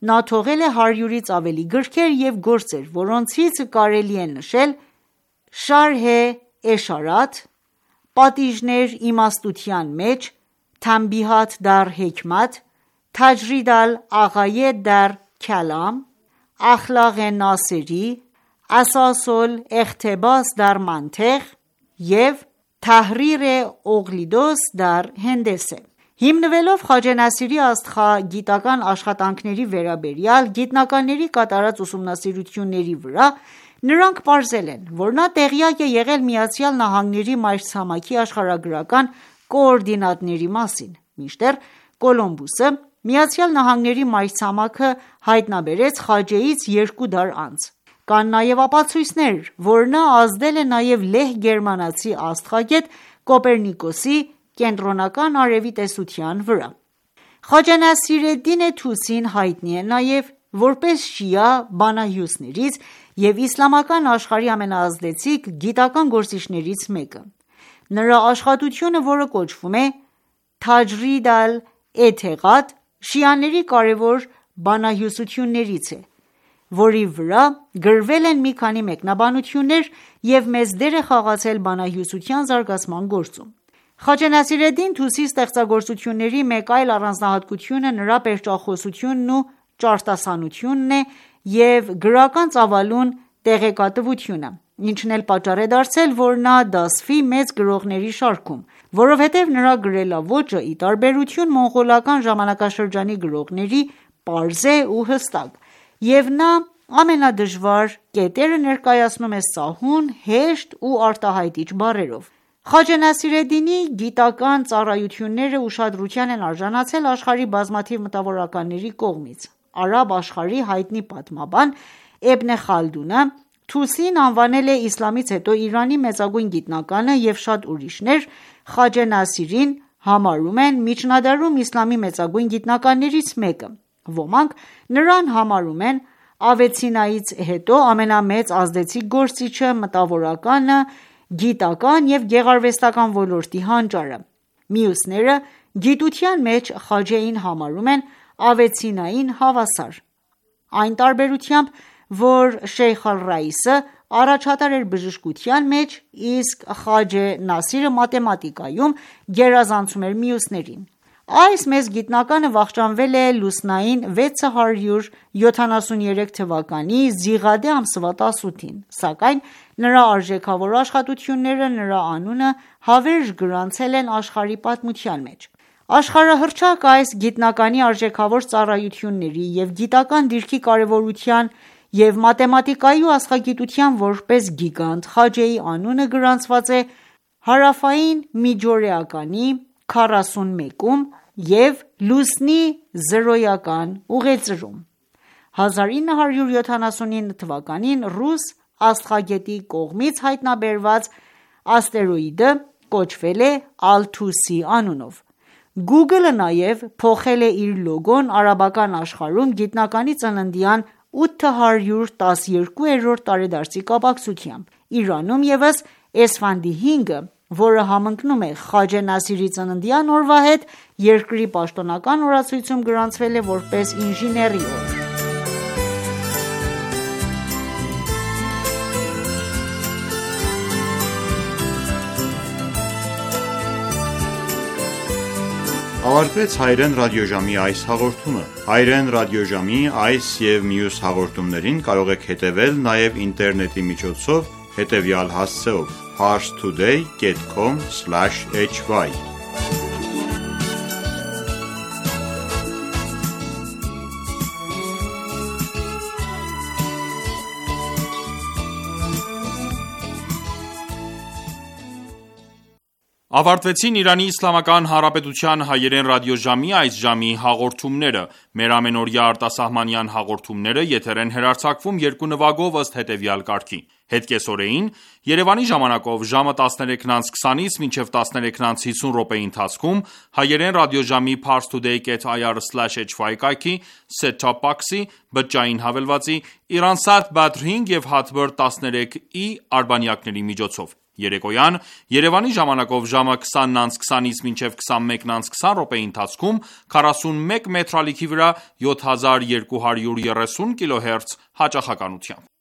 Նա թողել է 100-ից ավելի գրքեր և գործեր, որոնցից կարելի է նշել Շարհե Էշարաթ, Պատիժներ իմաստության մեջ, Թանբիհաթ դար Հեքմաթ, Թաջրիդ ալ-Աղայեդ դար Քալամ, Ախլաղե Նասերի, Ասասոլ Էղթեբաս դար Մանթեղ և Թահրիրե Օղլիդոս դար Հենդեսե։ Հիմնվելով Խաջե Նասիրի աստղագիտական աշխատանքների վերաբերյալ գիտնականների կատարած ուսումնասիրությունների վրա, նրանք պարզել են, որ նա տեղյակ է եղել ԱՄՆ-ի մայրցամաքի աշխարհագրական կոորդինատների մասին, մինչդեռ Կոլումբոսը ԱՄՆ-ի մայրցամաքը հայտնաբերեց Խաջեից 2 դար անց։ Կան նաև ապացույցներ, որ նա ազդել է նաև լեհ-գերմանացի աստղագետ Կոպեռնիկոսի կենտրոնական արևի տեսության վրա։ Խաջե Նասիր էդ-Դին Թուսին հայտնի է նաև որպես շիա բանահյուսներից և իսլամական աշխարհի ամենաազդեցիկ գիտական գործիչներից մեկը։ Նրա աշխատությունը, որը կոչվում է Թաջրիդ ալ-Էթեղադ, շիաների կարևոր բանահյուսություններից է, որի վրա գրվել են մի քանի մեկնաբանություններ և մեծ դեր է խաղացել բանահյուսության զարգացման գործում։ Խաջե Նասիր էդ-Դին Թուսիի ստեղծագործությունների մեկ այլ առանձնահատկությունը նրա պերճախոսությունն ու ճարտասանությունն է և գրական ծավալուն տեղեկատվությունը, ինչն էլ պատճառ է դարձել, որ նա դասվի մեծ գրողների շարքում, որովհետև նրա գրելաոճը, ի տարբերություն մոնղոլական ժամանակաշրջանի գրողների, պարզ է ու հստակ, և նա ամենադժվար կետերը ներկայացնում է սահուն, հեշտ ու արտահայտիչ բառերով։ Խաջե Նասիր էդ-Դինի գիտական ծառայությունները ուշադրության են արժանացել աշխարհի բազմաթիվ մտավորականների կողմից։ Արաբ աշխարհի հայտնի պատմաբան Էբն Խալդունը Թուսիին անվանել է իսլամից հետո Իրանի մեծագույն գիտնականը և շատ ուրիշներ Խաջե Նասիրին համարում են միջնադարում իսլամի մեծագույն գիտնականներից մեկը։ Ոմանք նրան համարում են Ավեցինայից հետո ամենամեծ ազդեցիկ գործիչը, մտավորականը, գիտական և գեղարվեստական ոլորտի հանճարը։ Մյուսները գիտության մեջ Խաջեին համարում են ավեցինային հավասար, այն տարբերությամբ, որ Շեյխ ալ-Ռայիսը առաջատար էր բժշկության մեջ, իսկ Խաջե Նասիրը մաթեմատիկայում գերազանցում էր մյուսներին: Այս մեծ գիտնականը վախճանվել է լուսնային 673 թվականի Զիղադե ամսվա 18-ին, սակայն նրա արժեքավոր աշխատությունները նրա անունը հավերժ գրանցել են աշխարհի պատմության մեջ: Աշխարհահռչակ այս գիտնականի արժեքավոր ծառայությունների և գիտական դիրքի կարևորության և մաթեմատիկայի ու աստղագիտության որպես գիգանտ Խաջեի անունը գրանցված է հարավային միջօրեականի 41-ում և լուսնի զրոյական ուղեծրում: 1979 թվականին ռուս աստղագետի կողմից հայտնաբերված աստերոիդը կոչվել է Ալթուսի անունով: Google-ը նաև փոխել է իր լոգոն արաբական աշխարհում գիտնականի ծննդյան 812-րդ տարեդարձի կապակցությամբ: Իրանում ևս Էսֆանդի 5-ը, որը համընկնում է Խաջե Նասիրի ծննդյան օրվա հետ, երկրի պաշտոնական օրացույցում գրանցվել է որպես ինժեների օր: Ավարտվեց հայրեն ռադիոժամի այս հաղորդումը: Հայրեն ռադիոժամի այս և մյուս հաղորդումներին կարող եք հետևել նաև ինտերնետի միջոցով հետևյալ հասցեով՝ parstoday.com/hy: Ավարտվեցին Իրանի Իսլամական Հանրապետության հայերեն ռադիոժամի այս ժամի հաղորդումները: Մեր ամենօրյա արտասահմանյան հաղորդումները եթեր են հեռարձակվում երկու նվագով ըստ հետևյալ կարգի: Հետկեսօրեին Երևանի ժամանակով ժամը 13:20-ից մինչև 13:50 րոպեի ընթացքում հայերեն ռադիոժամի parstoday.ir/hy կայքի set-top box-ի, բջջային հավելվածի, Iransat Badr 5 և Hotbird 13i արբանյակների միջոցով: Երեկոյան Երևանի ժամանակով ժամը 20:20-ից մինչև 21:20 րոպեի ընթացքում 41 մետրալիքի վրա 7230 kHz հաճախականությամբ: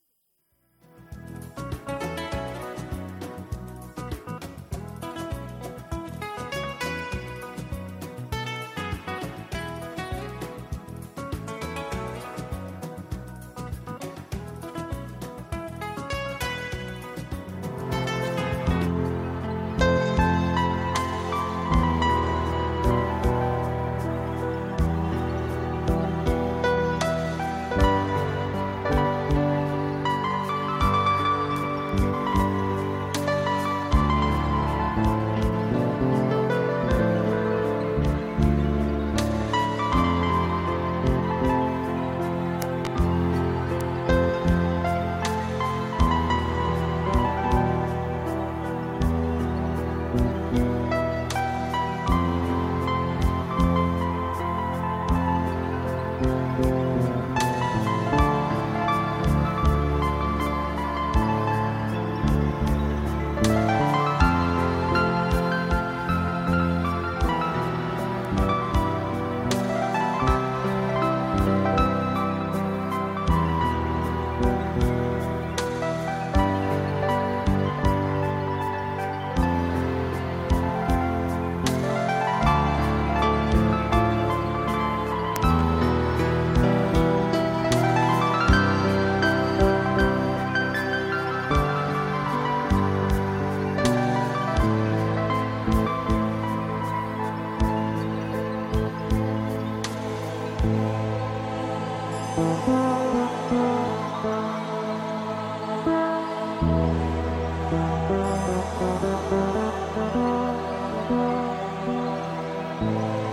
Thank you.